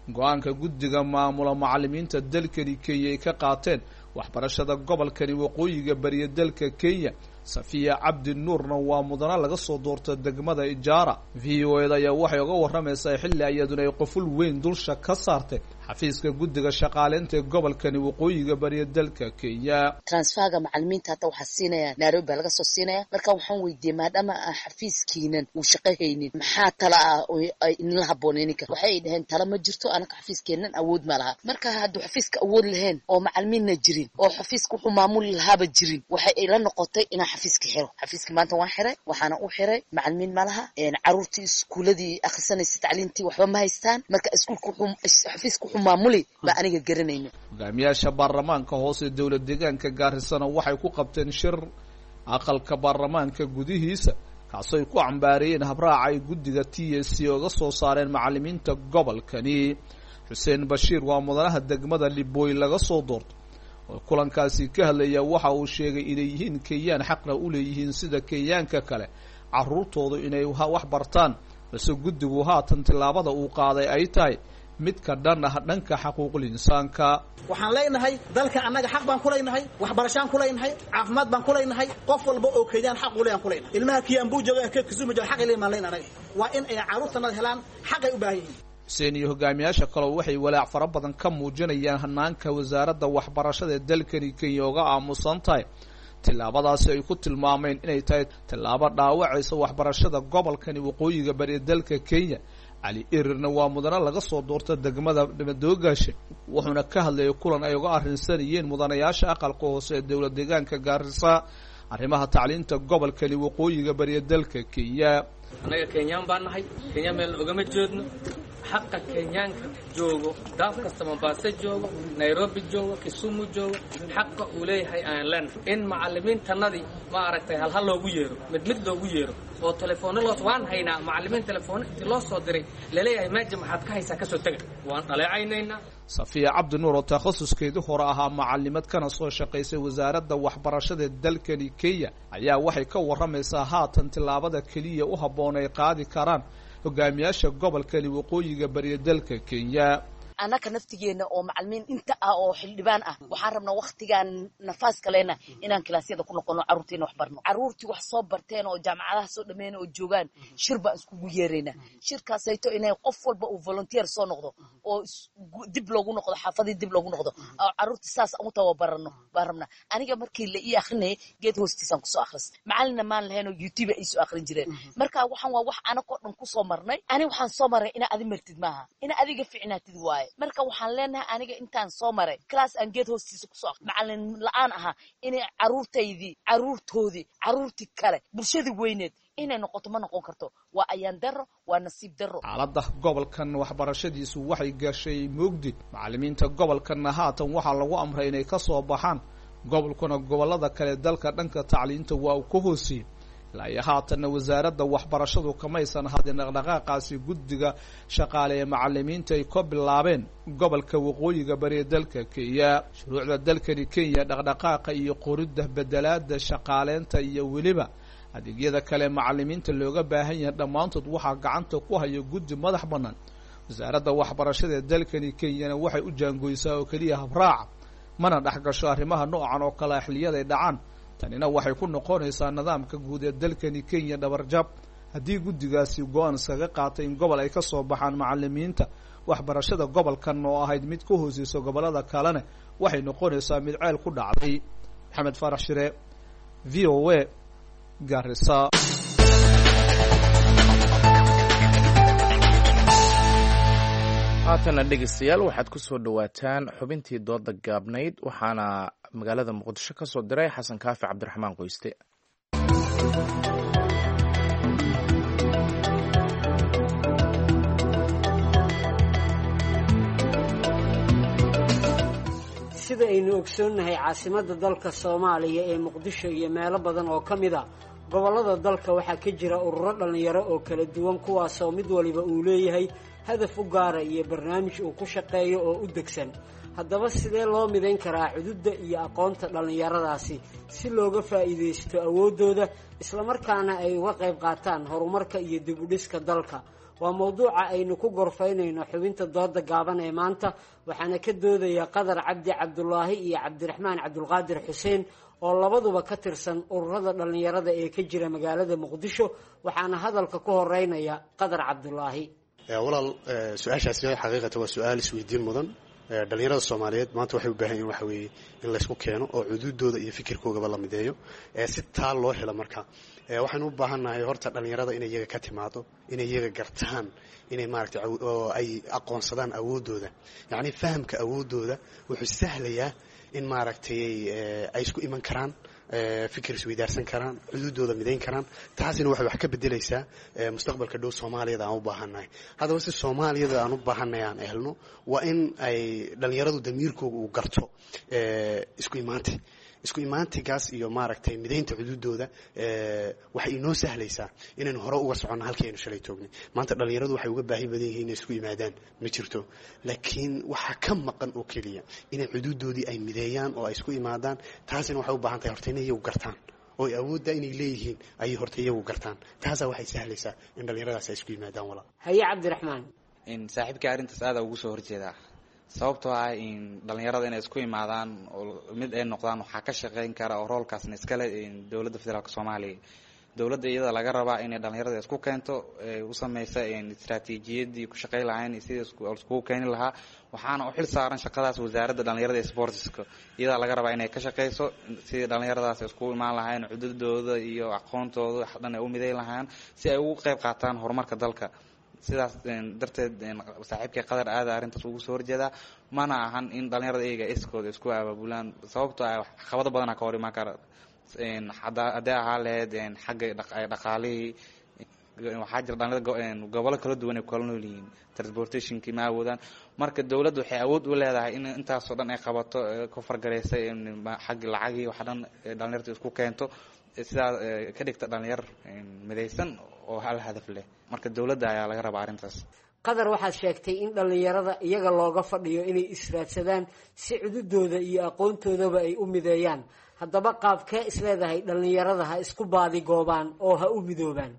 go-aanka guddiga maamula macalimiinta dalkani Kenya ay ka qaateen waxbarashada gobolkani waqooyiga bariya dalka Kenya. Safiya Cabdi Nuurna waa mudana laga soo doorta degmada Ijaara. V o eda ayaa waxay uga warramaysaa xilli iyaduna ay qoful weyn dulsha ka saartay xafiiska guddiga shaqaaleynta ee gobolkani waqooyiga bariya dalka Kenya. Transferga macalimiinta hata waxaa siinaya Nairobi baa laga soo siinaya. Marka waxaan weydiiyey, maadaama aan xafiiskiinan uu shaqo haynin, maxaa tala ah oo ay inla habboonay ninka? Waxay dhaheen tala ma jirto, anaka xafiiskeennan awood ma laha. Marka hadduu xafiiska awood lahayn oo macalimiinna jirin oo xafiiska wuxuu maamuli lahaaba jirin, waxay ila noqotay inaan xafiiska xiro. Xafiiska maanta waan xiray, waxaana u xiray macalimiin ma laha, caruurtii iskuuladii akhrisanaysa tacliintii waxba ma haystaan. Marka iskuulka wuxuu xafiiska wuxuu maamuli baa aniga garanayno. Hogaamiyaasha baarlamaanka hoose dowlad deegaanka Gaarisana waxay ku qabteen shir aqalka baarlamaanka gudihiisa, kaasoo ay ku cambaareeyeen habraaca ay guddiga T S C oga soo saareen macalimiinta gobolkani. Xuseen Bashiir waa mudanaha degmada Libooy laga soo doorto oo kulankaasi ka hadlaya. Waxa uu sheegay inay yihiin Kenyaan, xaqna u leeyihiin sida Kenyaanka kale carruurtoodu inay wax bartaan, balse guddigu haatan tillaabada uu qaaday ay tahay mid ka dhan ah dhanka xaquuqul insaanka. Waxaan leenahay dalka annaga xaq baan ku leenahay, waxbarashaan ku leenahay, caafimaad baan ku leenahay. Qof walba oo Kenyaan xaq u leeyahan ku leenahay. Ilmaha Kiambu jooga, ka Kisumu jooga, xaq ay leeyihiin baan leenahay. Waa in ay carruurtanada helaan xaq ay u baahan yihiin. Xuseen iyo hogaamiyaasha kaleo waxay walaac fara badan ka muujinayaan hanaanka wasaaradda waxbarashada ee dalkani Kenya uga aamusan tahay tillaabadaasi ay ku tilmaameen inay tahay tillaabo dhaawacaysa waxbarashada gobolkani waqooyiga bari ee dalka Kenya. Cali Erirna waa mudane laga soo doorta degmada Madoogaashe, wuxuuna ka hadlayay kulan ay uga arrinsanayeen mudanayaasha aqalka hoose ee dowlad deegaanka Gaarisa arrimaha tacliinta gobolkani waqooyiga bari ee dalka Kenya. Annaga Kenyaan baan nahay, Kenya meel ogama jeedno. Xaqa Kenyaanka joogo daaf kasta, Mombasa joogo, Nairobi joogo, Kisumu joogo, xaqa uu leeyahay aan leenahay in macallimiintanadii ma aragtay halhal loogu yeero, mid mid loogu yeero oo telefoonno loo waan haynaa macallimiin telefoonno intii loo soo diray laleeyahay meeja maxaad ka haysaa kasoo tega, waan dhaleecaynaynaa. Safiya Cabdinuur oo takhasuskeedii hore ahaa macalimad kana soo shaqaysay wasaaradda waxbarashada dalkani Kenya ayaa waxay ka warramaysaa haatan tillaabada keliya u habboon ay qaadi karaan hogaamiyaasha gobolkani waqooyiga bariya dalka Kenya. Annaka naftigeena oo macalimiin inta ah oo xildhibaan ah waxaan rabnaa waktigaan nafaas kalena inaan kilaasyada ku noqono, carruurtiina wax barno, carruurtii wax soo barteen oo jaamacadaha soo dhameyn oo joogaan shir baan iskugu yeeraynaa. Shirkaasayto inay qof walba uu volunteer soo noqdo oo dib loogu noqdo xaafadii, dib loogu noqdo oo carruurtii saas aan u tababarano baan rabnaa. Aniga markii la ii akrinayay geed hoostiisaan kusoo akhristay, macalinna maan lahayn oo YouTube ay soo akhrin jireen. Marka waxaan waa wax anakoo dhan kusoo marnay. Ani waxaan soo maray ina adi martid maaha, ina adiga ficnaatid waaye. Marka waxaan leenahay aniga intaan soo maray class aan geed hoostiisa kusoo macalin la-aan ahaa inay carruurtaydii, carruurtoodii, carruurtii kale, bulshadii weyneed inay noqoto ma noqon karto. Waa ayaan darro, waa nasiib darro. Xaaladda gobolkan waxbarashadiisu waxay gashay mugdi. Macallimiinta gobolkanna haatan waxaa lagu amray inay ka soo baxaan gobolkuna gobollada kale dalka dhanka tacliinta waa uu ka hooseeyey. Ilaa iyo haatanna wasaaradda waxbarashadu kamaysan hadin dhaqdhaqaaqaasi guddiga shaqaale ee macallimiinta ay ka bilaabeen gobolka waqooyiga bari ee dalka Kenya. Shuruucda dalkani Kenya dhaqdhaqaaqa iyo qoridda bedelaada shaqaaleynta iyo weliba adeegyada kale macallimiinta looga baahan yahay dhammaantood waxaa gacanta ku haya guddi madax bannaan. Wasaaradda waxbarashada ee dalkani Kenyana waxay u jaangoysaa oo keliya habraaca, mana dhex gasho arrimaha noocan oo kale xilliyada ay dhacaan. Tanina waxay ku noqonaysaa nidaamka guud ee dalkani Kenya dhabarjab haddii guddigaasi go-aan iskaga qaatay in gobol ay ka soo baxaan macallimiinta waxbarashada gobolkan oo ahayd mid ka hooseysa gobollada kalena waxay noqonaysaa mid ceel ku dhacday. Maxamed Faarax Shire, V O A, Garissa. Haatana dhegeystayaal waxaad ku soo dhowaataan xubintii dooda gaabnayd, waxaana magaalada Muqdisho ka soo diray Xasan Kaafi Cabdiraxmaan Qoyste. Sida aynu ogsoonnahay, caasimadda dalka Soomaaliya ee Muqdisho iyo meelo badan oo ka mid a gobollada dalka waxaa ka jira ururo dhallinyaro oo kala duwan, kuwaasoo mid waliba uu leeyahay hadaf u gaara iyo barnaamij uu ku shaqeeyo oo u degsan. Haddaba sidee loo midayn karaa cududda iyo aqoonta dhallinyaradaasi si looga faa'iidaysto awooddooda islamarkaana ay uga qayb qaataan horumarka iyo dib u dhiska dalka? Waa mowduuca aynu ku gorfaynayno xubinta dooda gaaban ee maanta, waxaana ka doodaya Qadar Cabdi Cabdulaahi iyo Cabdiraxmaan Cabdulqaadir Xuseen oo labaduba ka tirsan ururada dhallinyarada ee ka jira magaalada Muqdisho, waxaana hadalka ku horeynaya Qadar Cabdulaahi. Walaal, su-aashaasi xaqiiqatan waa su-aal isweydiin mudan. Dhalinyarada Soomaaliyeed maanta waxay u baahan yihin waxa weeye in laysku keeno oo cuduudooda iyo fikirkoogaba la mideeyo si taa loo helo. Marka waxaynu u baahannahay horta dhalinyarada inay iyaga ka timaado, inay iyaga gartaan, inay maaragtay oo ay aqoonsadaan awooddooda. Yacni fahamka awooddooda wuxuu sahlayaa in maaragtay ay isku iman karaan, fikir isweydaarsan karaan, cuduudooda midayn karaan. Taasina waxay wax ka bedelaysaa mustaqbalka dhow Soomaaliyada aan u baahannahay. Haddaba si Soomaaliyada aan u baahannahay aan helno, waa in ay dhalinyaradu damiirkooga uu garto isku imaanti, isku imaantigaas iyo maaragtay midaynta cuduudooda. Waxay inoo sahlaysaa inaynu hore uga soconno halkii aynu shalay toognay. Maanta dhalinyaradu waxay uga baahi badan yihiin inay isku yimaadaan ma jirto, laakiin waxaa ka maqan oo keliya inay cuduudoodii ay mideeyaan oo ay isku imaadaan. Taasina waxay u baahan tahay horta inay iyagu gartaan oo ay awoodda inay leeyihiin ayay horta iyagu gartaan. Taasaa waxay sahlaysaa in dhalinyaradaas ay isku yimaadaan walaal. Haye Cabdiraxmaan. Saaxiibkii arrintaas aada ugu soo horjeedaa, sababtoo ah in dhalinyarada inay isku imaadaan oo mid ay noqdaan waxaa ka shaqeyn kara oo roolkaasna iskale dowladda federaalka Soomaaliya. Dowladda iyada laga rabaa inay dhalinyarada isku keento, u sameysa istaraatiijiyadii ku shaqey lahayn iyo sidii iskugu keeni lahaa. Waxaana u xil saaran shaqadaas wasaaradda dhalinyarada ee sportska. Iyadaa laga rabaa inay ka shaqeyso sidii dhalinyaradaas iskugu imaan lahayn, cududooda iyo aqoontooda wax dhan ay u midayn lahaan si ay ugu qeyb qaataan horumarka dalka. Sidaas darteed saaxiibkay Qadar aada arrintaas ugu soo horjeedaa. Mana ahan in dhalinyarada iyaga iskooda isku abaabulaan, sababtoo ah caqabado badana ka hor imaan kara, haddii ahaa lahayd xagga dhaqaalihii. Waxaa jira dhalinyarada gobollo kala duwan ay kala nool yihiin, transportationkii ma awoodaan. Marka dowladda waxay awood u leedahay in intaasoo dhan ay qabato, ku fargareysa xagga lacagii wax dhan, dhalinyarta isku keento, sidaa ka dhigta dhalinyar midaysan oo hal hadaf leh. Marka dowladda ayaa laga rabaa arrintaas. Qadar, waxaad sheegtay in dhallinyarada iyaga looga fadhiyo inay israadsadaan si cududooda iyo aqoontoodaba ay u mideeyaan. Haddaba qaabkee isleedahay dhallinyarada ha isku baadigoobaan oo ha u midoobaan?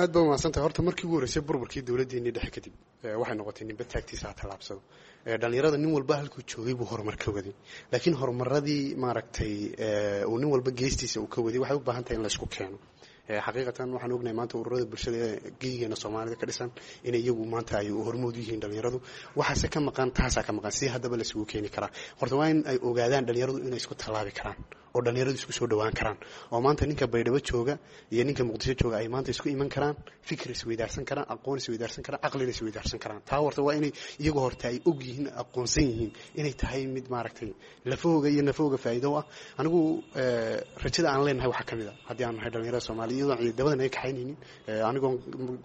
Aad baa umahadsantahay. Horta markii ugu horreysay burburkii dowladdeenii dhexe kadib, waxay noqotay ninba taagtiisa ha tallaabsado. Dhalinyarada nin walba halkuu joogay buu horumar ka waday, laakiin horumaradii maaragtay uu nin walba geestiisa uu ka waday waxay u baahan tahay in la isku keeno. Xaqiiqatan waxaan ognahay maanta ururada bulshada ee geyigeena Soomaalida ka dhisan inay iyagu maanta ay hormood u yihiin dhalinyaradu. Waxaase ka maqan, taasaa ka maqan. Si haddaba la isugu keeni karaa? Horta waa in ay ogaadaan dhalinyaradu inay isku tallaabi karaan oo dhalinyaradu isku soo dhowaan karaan, oo maanta ninka Baydhabo jooga iyo ninka Muqdisho jooga ay maanta isku iman karaan, fikir isweydaarsan karaan, aqoon isweydaarsan karaan, caqlina isweydaarsan karaan. Taa horta waa inay iyagu horta ay og yihiin, aqoonsan yihiin inay tahay mid maaragtay lafahooga iyo nafahooga faa'iido u ah. Anigu rajada aan leenahay waxaa ka mid a haddii aan nahay dhalinyarada Soomaaliya, iyadoon ciidamadan ay kaxaynaynin, anigoon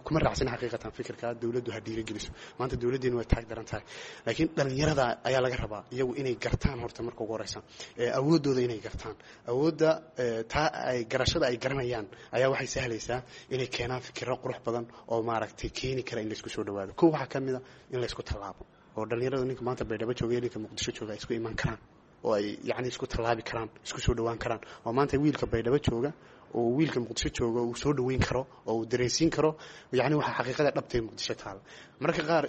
kuma raacsan xaqiiqatan fikirka dowladdu ha dhiirigeliso. Maanta dowladdeenu way taag daran tahay, laakiin dhalinyarada ayaa laga rabaa iyagu inay gartaan horta marka ugu horeysa awooddooda inay gartaan. Awoodda taa ay garashada ay garanayaan ayaa waxay sahlaysaa inay keenaan fikirro qurux badan oo maaragtay keeni kara in laysku soo dhawaado. Kow waxaa ka mid a in laysku tallaabo oo dhalinyarada ninka maanta Baydhabo jooga iyo ninka Muqdisho jooga ay isku iman karaan oo ay yacni isku tallaabi karaan, isku soo dhawaan karaan, oo maanta wiilka Baydhabo jooga oo wiilka Muqdisho jooga uu soo dhaweyn karo oo uu dareensiin karo yacni waxa xaqiiqada dhabta ee Muqdisho taala. Mararka qaar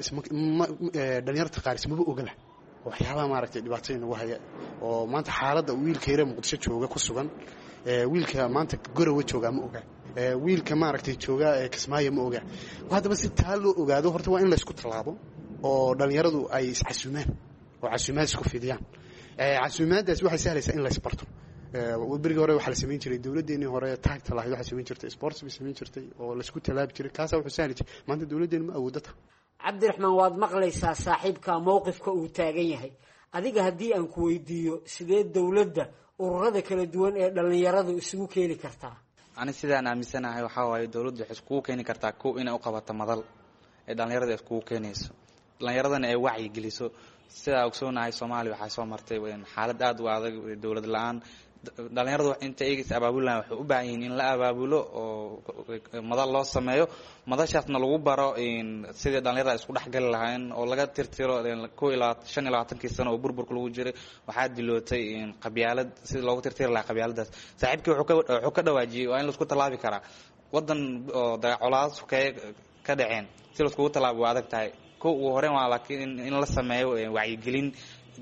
dhalinyarta qaar ismaba ogaba waxyaabaha maaragtay dhibaatada nagu haya, oo maanta xaaladda wiilka yare Muqdisho jooga ku sugan wiilka maanta Garowe jooga ma oga, wiilka maaragtay jooga Kismaayo ma oga. Haddaba si taa loo ogaado horta waa in laysku tallaabo oo dhalinyaradu ay iscasuumaan oo casuumaad isku fidiyaan. Casuumaaddaasi waxay sahlaysaa in laysbarto. Berigii hore waxaa la samayn jiray, dowladdeenii hore taagta lahayd waxay samayn jirtay sports bay samayn jirtay oo laysku tallaabi jiray. Kaasaa wuxuu sahli jiray. Maanta dowladdeenu ma awooddo ta. Cabdiraxmaan, waad maqlaysaa saaxiibka mowqifka uu taagan yahay. Adiga haddii aan ku weydiiyo, sidee dowladda ururada kala duwan ee dhallinyaradu isugu keeni kartaa? Ani sidaan aaminsanahay waxaa waaye dowladdu waxay iskugu keeni kartaa kow inay u qabato madal ee dhallinyarada iskugu keenayso, dhallinyaradana ay wacyi geliso. Sidaa ogsoonahay Soomaaliya waxaa soo martay xaalad aada u adag, dowlad la-aan. Dhalinyaradu inta iyaga is abaabulaan waxay u baahan yihiin in la abaabulo oo madal loo sameeyo, madashaasna lagu baro sidii dhalinyarada isku dhexgali lahayn oo laga tirtiro 25-kii sano oo burburka lagu jiray waxaa dilootay qabyaalad, sidii loogu tirtiri lahaa qabyaaladaas. Saaxiibkii wuxuu ka dhawaajiyey waa in laisku tallaabi karaa waddan oo colaado sokeeye ka dhaceen, si laiskugu tallaabo waa adag tahay. Kow ugu horeen waa laakiin in la sameeyo wacyigelin,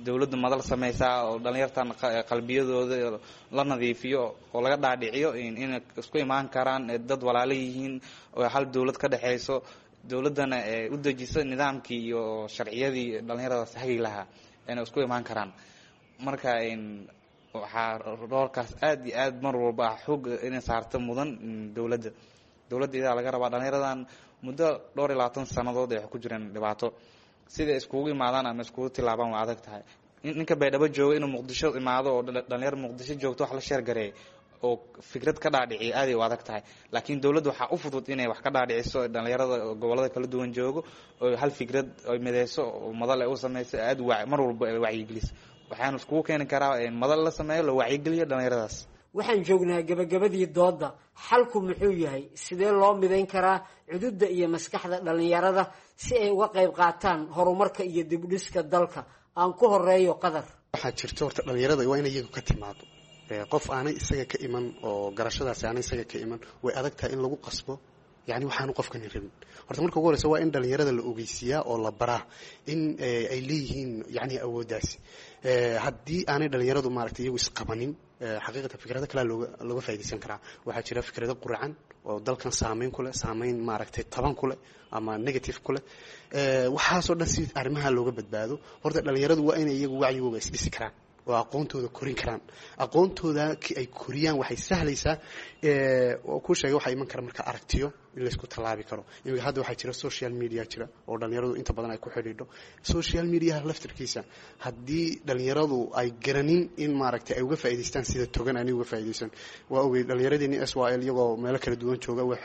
dowladda madal sameysaa oo dhalinyartan qalbiyadooda la nadiifiyo oo laga dhaadhiciyo inay isku imaan karaan, dad walaalo yihiin oo hal dowlad ka dhexeyso, dowladdana u dejiso nidaamkii iyo sharciyadii dhalinyaradaas hagi lahaa inay isku imaan karaan. Marka waxaa roolkaas aad iyo aad mar walba ah xoog inay saarto mudan dowladda. Dowladda iyadaa laga rabaa. Dhalinyaradan muddo dhowr iyo labaatan sannadood ay ku jireen dhibaato, siday iskugu imaadaan ama iskugu tilaabaan waa adag tahay. Ninka Baydhabo jooga inuu Muqdisho imaado oo dhalinyar Muqdisho joogto wax la sheergareey oo fikrad ka dhaadhiciyo aaday u adag tahay, laakiin dowladda waxaa u fudud inay wax ka dhaadhiciso dhalinyarada gobollada kala duwan joogo oo hal fikrad ay mideyso oo madal ay u sameyso, aad mar walba ay wacyigeliso. Waxaanu iskugu keeni karaa madal la sameeyo, la wacyigeliyo dhalinyaradaas. Waxaan joognaa gabagabadii doodda. Xalku muxuu yahay? Sidee loo midayn karaa cududda iyo maskaxda dhallinyarada si ay uga qayb qaataan horumarka iyo dibdhiska dalka? Aan ku horeeyo Qadar. Waxaa jirto horta dhalinyarada waa in iyagu ka timaado. Qof aanay isaga ka iman oo garashadaasi aanay isaga ka iman way adag tahay in lagu qasbo, yacni waxaanu qofkani rabin. Horta marka ugu horeysa waa in dhalinyarada la ogeysiiyaa oo la baraa in ay leeyihiin yacni awooddaasi. Haddii aanay dhalinyaradu maaragtay iyagu isqabanin Xaqiiqatan fikrado kalea looga faaidaysan karaa. Waxaa jira fikrado quracan oo dalkan saameyn ku leh, saameyn maaragtay taban ku leh ama negative ku leh. Waxaasoo dhan si arrimaha looga badbaado, horta dhalinyaradu waa inay iyagu wacyigooga isdhisi karaan oo aqoontooda korin karaan. Aqoontooda ay koriyaan waxay sahlaysaa oo kuu sheegay waxaa iman kara marka aragtiyo in laysku tallaabi karo. Iminka hadda waxaa jira social media jira oo dhalinyaradu inta badan ay ku xidhiidho social mediaha laftirkiisa. Haddii dhalinyaradu ay garanin in maaragtay ay uga faa'idaystaan sida togan aanay uga faa'iidaysan, waa ogeyd dhalinyaradeenii SYL iyagoo meelo kala duwan jooga, waa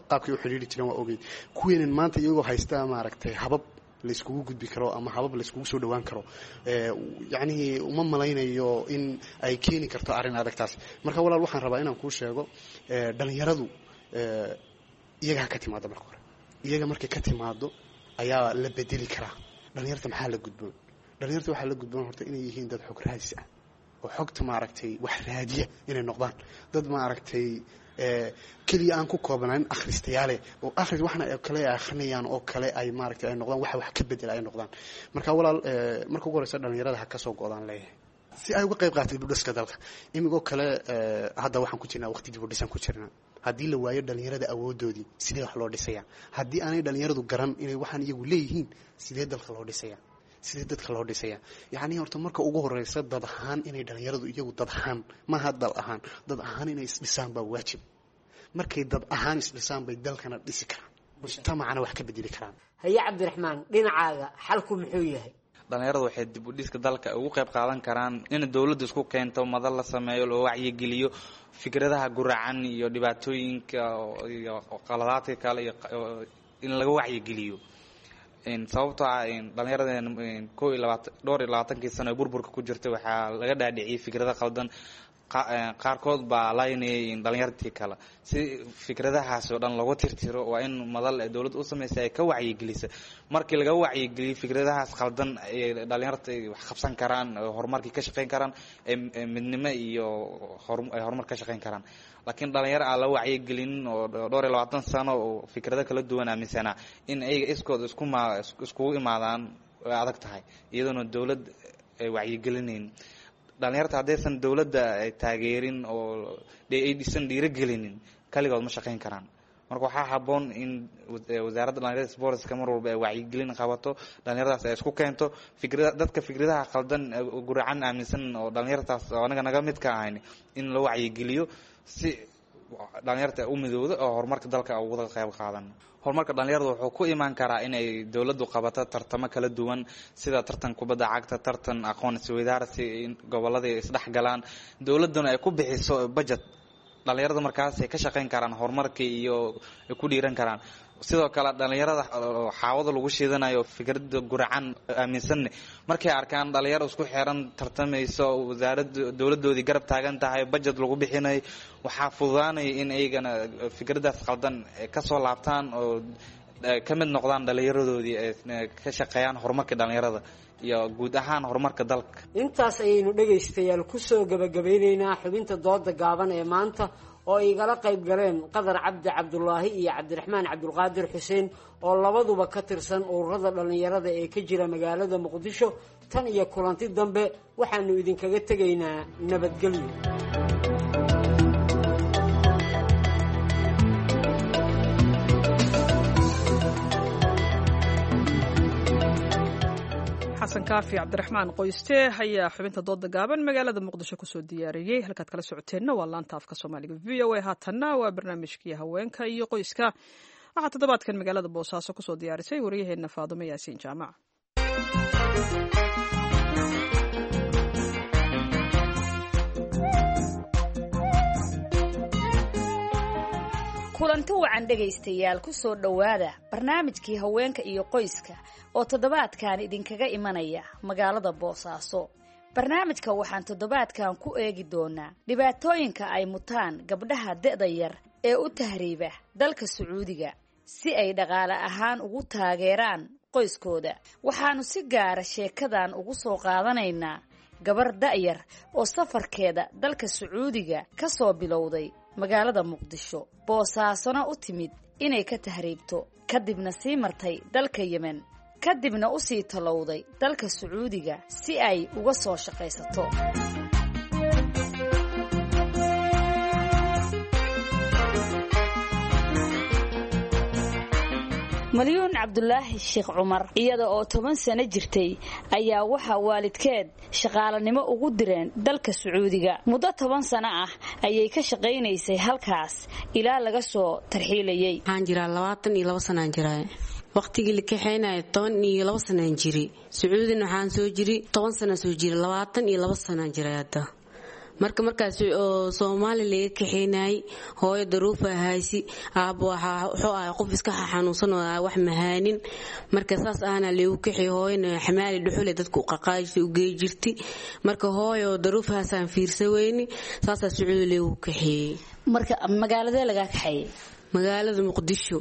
qaabkay u xidhiidhi jireen, waa ogeyd kuweenan maanta iyagoo haysta maaragtay habab laiskugu gudbi karo ama habab laiskugu soo dhawaan karo. Yacnihii uma malaynayo in ay keeni karto arrin adagtaas. Marka walaal, waxaan rabaa inaan kuu sheego, dhalinyaradu iyaga ha ka timaado marka hore. Iyaga markay ka timaado ayaa la bedeli karaa. Dhalinyarta maxaa la gudboon? Dhalinyarta waxaa la gudboon horta inay yihiin dad xog raadis ah oo xogta maaragtay wax raadiya, inay noqdaan dad maaragtay keliya aan ku koobnaan akhristayaale oo akhris waxna kale ay akhrinayaan oo kale ay maaragtay ay noqdaan waxa wax ka bedela ay noqdaan. Marka walaal, marka ugu horeysa dhalinyarada ha ka soo go'daan leeyahay si ay uga qayb qaato dib u dhiska dalka. Imigoo kale hadda waxaan ku jirnaa waqti dib u dhisan ku jirnaa. Haddii la waayo dhalinyarada awoodoodii, sidee wax loo dhisaya? Haddii aanay dhalinyaradu garan inay waxaan iyagu leeyihiin, sidee dalka loo dhisaya? Sidee dadka loo dhisaya? Yacni horta marka ugu horeysa dad ahaan inay dhalinyaradu iyagu dad ahaan, maaha dal ahaan, dad ahaan inay isdhisaan baa waajib. Markay dad ahaan isdhisaan bay dalkana dhisi karaan, mujtamacana wax ka bedeli karaan. Haye Cabdiraxmaan, dhinacaaga xalku muxuu yahay? Dhalinyaradu waxay dib u dhiska dalka ugu qayb qaadan karaan in dowladdu isku keento, madal la sameeyo, loo wacyigeliyo fikradaha guracan iyo dhibaatooyinka iyo qaladaadka kale iyo in laga wacyigeliyo. Sababtoo ah dhalinyaradeen 21, dhowr iyo labaatankii sano ee burburka ku jirtay waxaa laga dhaadhiciyay fikrado qaldan. Qaarkood baa laynayay dhalinyartii kale. Si fikradahaas oo dhan looga tirtiro, waa in madal ee dowladda u samaysay ay ka wacyigelisa. Markii laga wacyigeliyo fikradahaas qaldan, ay dhalinyarta ay wax qabsan karaan, horumarkii ka shaqeyn karaan, midnimo iyo ay horumar ka shaqeyn karaan. Laakiin dhalinyaro aan la wacyigelinin oo dhowr iyo labaatan sano oo fikrado kala duwan aaminsanaa, in ayaga iskood iskuma iskugu imaadaan way adag tahay, iyadoona dowlad ay wacyigelinayn. Dhalinyarta haddaysan dowladda ay taageerin oo aysan dhiirigelinin, kaligood ma shaqeyn karaan. Marka waxaa habboon in wasaaradda dhalinyarada sportska mar walba ay wacyigelin qabato, dhalinyaradaas ay isku keento, fikrada dadka fikradaha qaldan guracan aaminsan oo dhalinyartaas oo anaga naga mid ka ahayn in la wacyigeliyo, si dhalinyarta u midowdo oo horumarka dalka uga qayb qaadan. Horumarka dhalinyarada wuxuu ku imaan karaa inay dowladdu qabato tartamo kala duwan, sida tartan kubadda cagta, tartan aqoon isweydaarsi, in gobolada isdhex galaan, dowladduna ay ku bixiso budget. Dhalinyarada markaas ay ka shaqeyn karaan horumarkii iyo ay ku dhiiran karaan. Sidoo kale dhalinyarada xaawada lagu shiidanayo fikrada guracan aaminsanne, markay arkaan dhalinyaro isku xiran, tartamayso, wasaaradda dowladoodii garab taagan tahay, budget lagu bixinayo, waxaa fududaanaya in iyagana fikradaas qaldan kasoo laabtaan oo ka mid noqdaan dhalinyaradoodii, ay ka shaqeeyaan horumarka dhalinyarada iyo guud ahaan horumarka dalka. Intaas ayaynu dhegaystayaal kusoo gabagabeyneynaa xubinta dooda gaaban ee maanta oo igala qayb galeen Qadar Cabdi Cabdulaahi iyo Cabdiraxmaan Cabdulqaadir Xuseen oo labaduba ka tirsan ururada dhallinyarada ee ka jira magaalada Muqdisho. Tan iyo kulanti dambe, waxaanu idinkaga tegaynaa nabadgelyo. Xasan Kaafi Cabdiraxmaan Qoyste ayaa xubinta dooda gaaban magaalada Muqdisho kusoo diyaariyey. Halkaad kala socoteenna waa laanta afka Soomaaliga VOA. Haatanna waa barnaamijkii haweenka iyo qoyska. Waxaa toddobaadkan magaalada Boosaaso kusoo diyaarisay wariyaheenna Faadumo Yaasiin Jaamac. Kulanti wacan dhegaystayaal, ku soo dhowaada barnaamijkii haweenka iyo qoyska oo toddobaadkan idinkaga imanaya magaalada Boosaaso. Barnaamijka waxaan toddobaadkan ku eegi doonaa dhibaatooyinka ay mutaan gabdhaha da'da yar ee u tahriiba dalka Sacuudiga si ay dhaqaale ahaan ugu taageeraan qoyskooda. Waxaannu si gaara sheekadan ugu soo qaadanaynaa gabar da'yar oo safarkeeda dalka Sacuudiga ka soo bilowday magaalada Muqdisho, Boosaasona u timid inay ka tahriibto, kadibna sii martay dalka Yemen, kadibna u sii tallowday dalka Sacuudiga si ay uga soo shaqaysato. Malyuun Cabdulaahi Sheekh Cumar iyada oo 10 sano jirtay ayaa waxaa waalidkeed shaqaalanimo ugu direen dalka Sacuudiga. Muddo 10 sano ah ayay ka shaqaynaysay halkaas ilaa laga soo tarxiilayay. Waxaan jiraa 22 sanaan jiraa. Waqtigii la kaxeynaya 12 sanaan jiri. Sacuudina waxaan soo jiri 10 sana soo jiri, 22 sanaan jiray hadda. Marka markaas oo Soomaali laga kaxeynayay, hooyo daruufa haysi, aabbo wuxuu ahaa qof iska xanuunsan oo wax mahaanin. Marka saas ahna lagu kaxeey, hooyana xamaali dhuxule dadku qaqaajisay u geey jirtay. Marka hooyo daruufahaasaan fiirsa weyni, saasaa Sacuudi lagu kaxeeyey. Marka magaaladee lagaa kaxeeyey? Magaalada Muqdisho,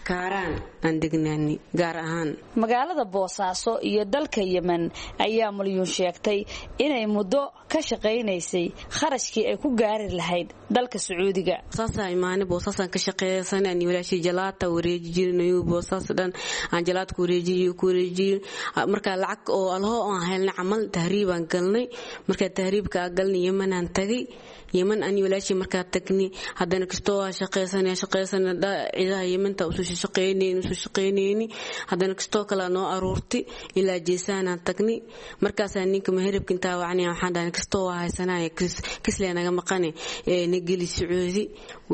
Kaaraan aan degnaani gaar ahaan. Magaalada Boosaaso iyo dalka Yemen ayaa Malyuun sheegtay inay muddo ka shaqaynaysay kharashkii ay ku gaari lahayd dalka Sacuudiga. Saasaa imaanay, Boosaasaan ka shaqeeysan ani walaashii, jalaata wareeji jirnay Boosaas dhan aan jalaata ku wareejiyo ku wareejiyo. Marka lacag oo alho aan helnay camal tahriibaan galnay. Marka tahriibka aan galnay Yemen aan tagay. Yemen ani walaashii markaa tagnay, haddana kastoo waa shaqeysanaya shaqeysana ciidaha Yementa usoo shaqeynayni usoo shaqeynayni, haddana kastoo kale noo aruurtay ilaa Jeesaanaan tagnay. Markaasaa ninka maheribka intaa wacnaya waxaan dhahay kastoo waa haysanaya kislee naga maqane ee na geli Sacuudi.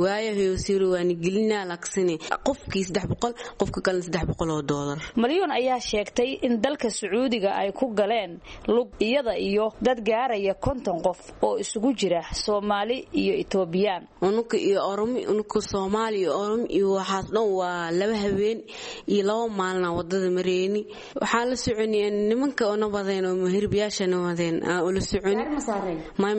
Waayo hoyosiiro waa na gelinaa laaksine qofkii 300, qofka kalena $300. Malyuun ayaa sheegtay in dalka Sacuudiga ay ku galeen lug iyada iyo dad gaaraya 50 qof oo isugu jira Soomaali iyo Itoobiyaan. Unuka iyo Oromi, unuka Soomaali iyo Oromi iyo waxaas dhan waa 2 habeen iyo 2 maalin aan wadada mareyni. Waxaan la soconay nimanka oo nabadeen oo muhirbiyaasha nabadeen aan ula soconay.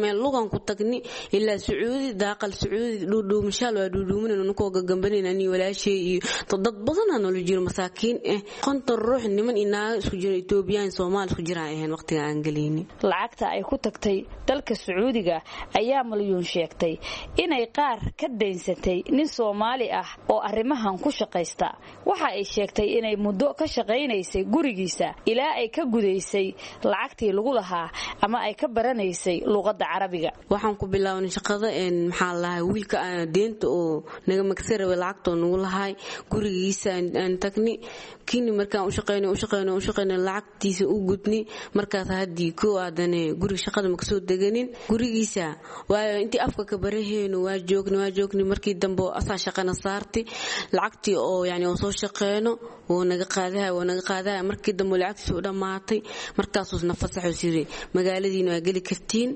Meel lugan ku tagni ilaa Sacuudi, daaqal Sacuudi dhuudhuumashaal waa dhuudhuumin unukoo gagambanin ani walaashay iyo dad badan aan ula jiro masaakiin 50 ruux niman iyo naago isku jiro Itoobiyaan Soomaali isku jiraan ahayn waqtiga aan galayni. Lacagta ay ku tagtay dalka Sacuudiga ayaa Malyuun sheegtay inay qaar ka daynsatay nin Soomaali ah oo arrimahan ku shaqaysta. Waxa ay sheegtay inay muddo ka shaqaynaysay gurigiisa ilaa ay ka gudaysay lacagtii lagu lahaa ama ay ka baranaysay luqadda Carabiga. Waxaan ku bilownay shaqada maxaa lahaa wiilka aan deynta oo naga magsa rabay lacagta oo nagu lahay gurigiisa aan tagnay. Kini markaan u shaqeynay u shaqeynay u shaqeynay lacagtiisa u gudnay. Markaas haddii koo aadane guriga shaqada ma kasoo deganin gurigiisa, waayo intii afka ka baraheyno waa joognay markii dambe asaa shaqana saartay lacagtii oo yani oo soo shaqeyno wuu naga qaadaya. Markii dambe lacagtiisa u dhammaatay markaasuu na fasaxo siri magaaladiina waa geli kartiin,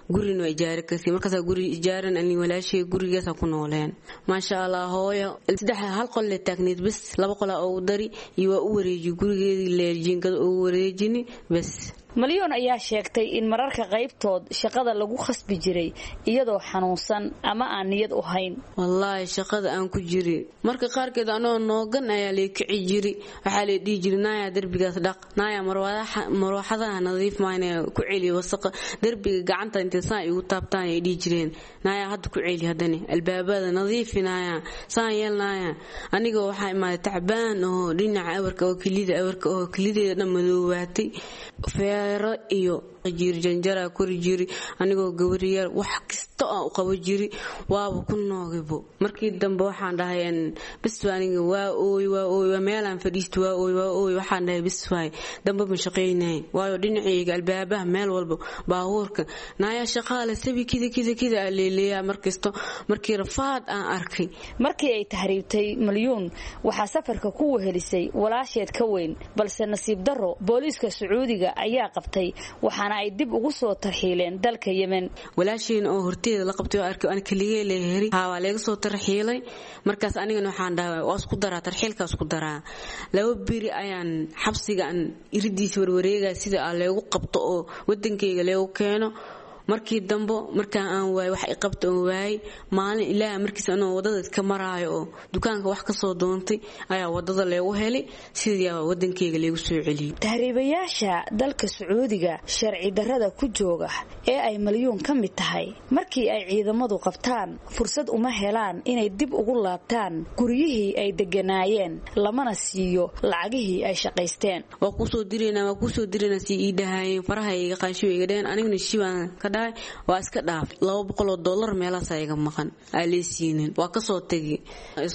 gurina waa ijaari kartiin. Markaasaa guri ijaaran ani walaashay gurigaasa ku nooleen. Maasha Allah, hooyo 3 hal qol le taagneyd bas, 2 qolaa ugu dari iyo waa u wareejiy gurigeedii leejiingada ugu wareejini bas. Malyuun ayaa sheegtay in mararka qaybtood shaqada lagu khasbi jiray iyadoo xanuunsan ama aan niyad u hayn. Wallaahi shaqada aan ku jiri marka qaarkeed anoo noogan ayaa lay kici jiri. Waxaa lay dhihi jiri naaya derbigaas dhaq, naaya marwaxadaha nadiif maayna ku celi wasaqa derbiga gacanta intay saan igu taabtaan ay dhihi jireen, naaya hadda ku celi, haddana albaabada nadiifi, naaya saan yeel naaya. Anigoo waxaa imaaday tacbaan oo dhinaca awarka oo kelida awarka oo kelideeda dhan madoobaatay, feero iyo jiri janjara kori jiri anigoo gabaryaal wax kasta aan u qabo jiri waaba ku noogibo. Markii dambe waxaan dhahay bis aniga waa ooy waa ooy waa meelaan fadhiisto waa ooy waa ooy. Waxaan dhahay bis waay dambe ma shaqeynay, waayo dhinacayga albaabaha meel walba baabuurka naaya shaqaale sabi kida kida kida aa leeleeyaa markasto. Markii rafaad aan arkay. Markii ay tahriibtay Malyuun waxaa safarka ku wehelisay walaasheed ka weyn, balse nasiib darro booliiska Sacuudiga ayaa qabtay waxaana ay dib ugu soo tarxiileen dalka Yemen. Walaasheen oo horteeda la qabtay oo arkay aan kaligee leeheri haa waa laga soo tarxiilay. Markaas anigana waxaan dhahay waa isku daraa tarxiilka isku daraa. 2 biri ayaan xabsiga aan iridiisa warwareegaya sida aan leegu qabto oo wadankayga leegu keeno. Markii dambe markaan aan waayay wax i qabta oo waayay maalin ilaa markiis anoo wadada iska maraayo oo dukaanka wax ka soo doontay ayaa wadada leegu helay, sidii wadankayga leegu soo celiyay. Tahriibayaasha dalka Sacuudiga sharci darrada ku jooga ee ay Malyuun ka mid tahay markii ay ciidamadu qabtaan fursad uma helaan inay dib ugu laabtaan guryihii ay deganaayeen, lamana siiyo lacagihii ay shaqaysteen. Waa kusoo direynaa waa kusoo direynaa si ii dhahaayeen faraha iga qaanshiyo iga dhaheen, aniguna shibaan ka dhahay waa iska dhaaf. $200 meelahaas iga maqan aa lee siinin, waa kasoo tegi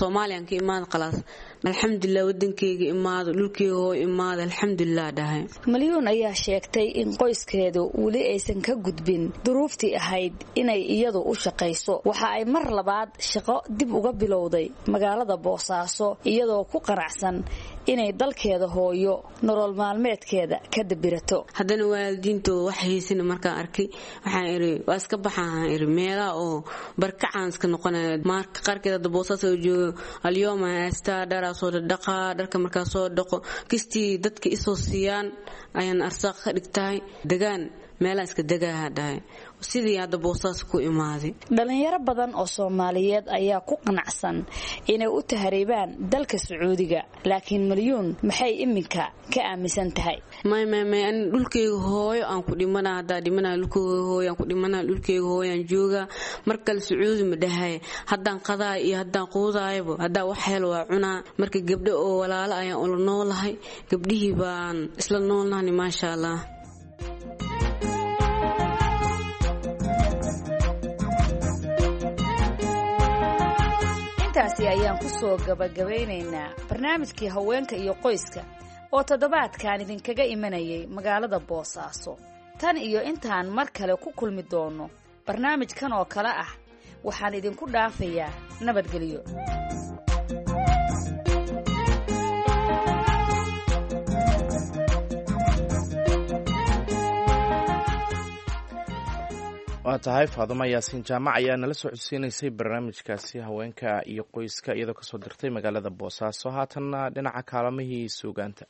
Soomaaliyan ka imaan khalaas. Alxamdulilah, wadankeyga imaado, dhulkeyga hoo imaado, alxamdulilah dhahay. Malyuun ayaa sheegtay in qoyskeedu weli aysan ka gudbin duruuftii ahayd inay iyadu u shaqayso. Waxa ay mar labaad shaqo dib uga bilowday magaalada Boosaaso, iyadoo ku qanacsan inay dalkeeda hooyo nolol maalmeedkeeda ka dabirato. Haddana waalidiintooda wax haysana markaan arkay, waxaan iri waa iska baxaan, iri meelaha oo barkacaan iska noqonaya. Marka qaarkeed hadda Boosaaso joogo, alyooma haystaa, dharaa soo dhaqaa, dharka markaa soo dhaqo, kistii dadka isoo siiyaan ayaan arsaaq ka dhigtahay, degaan meelaa iska degaaha dhahay, sidii hadda Boosaas ku imaaday. Dhalinyaro badan oo Soomaaliyeed ayaa ku qanacsan inay u tahriibaan dalka Sacuudiga, laakiin Malyuun maxay iminka ka aaminsan tahay? May may may, ani dhulkeyga hooyo aan ku dhimana, haddaa dhimana dhulkeyga hooyo aan ku dhimana, dhulkeyga hooyo aan joogaa. Mar kale Sacuudi ma dhahay, haddaan qadaay iyo haddaan quudaayaba, haddaa wax helo waa cunaa. Marka gabdho oo walaalo ayaan ula noolahay, gabdhihii baan isla noolnahani, maasha Allah. Intaasi ayaan ku soo gabagabaynaynaa barnaamijkii haweenka iyo qoyska oo toddobaadkan idinkaga imanayay magaalada Boosaaso. Tan iyo intaan mar kale ku kulmi doono barnaamijkan oo kale ah, waxaan idinku dhaafayaa nabadgelyo. Waa tahay, Faadumo Yaasiin Jaamac ayaa nala soo codsiinaysay barnaamijkaasi haweenka iyo qoyska, iyadoo kasoo dirtay magaalada Boosaaso. Haatanna dhinaca kaalamihii suugaanta.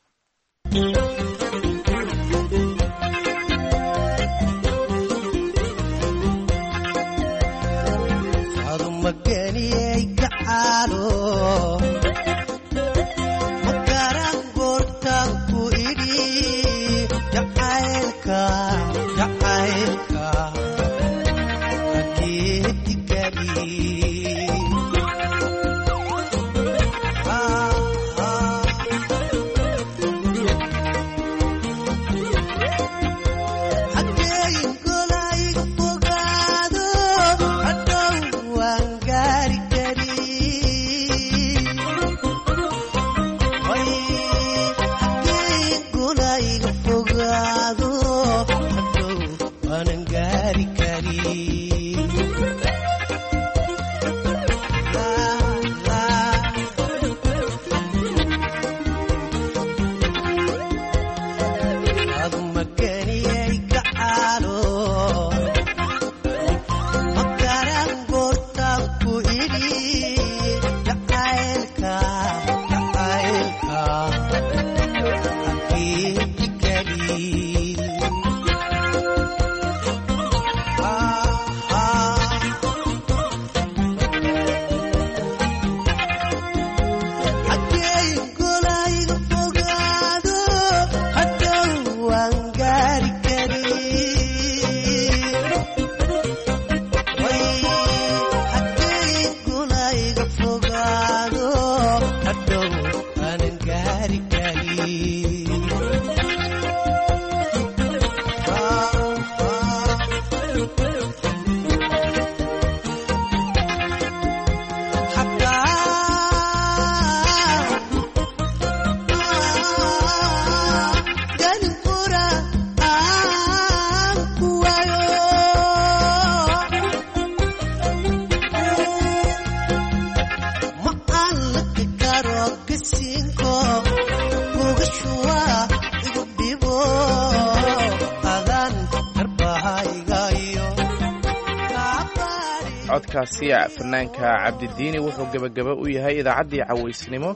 Codkaasi fanaanka Cabdidiini wuxuu gebagaba u yahay idaacaddii cawaysnimo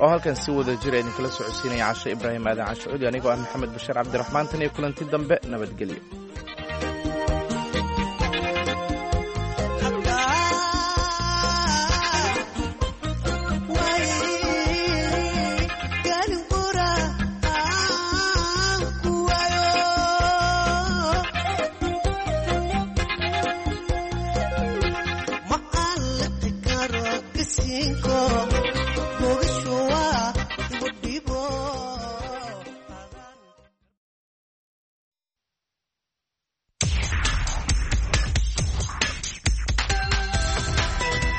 oo halkan si wada jira idinkala socodsiinaya Casho Ibraahim Aadan Cashucuudi, anigoo ah Maxamed Bashiir Cabdiraxmaan. Tan iyo kulanti dambe, nabadgelyo. Cinco.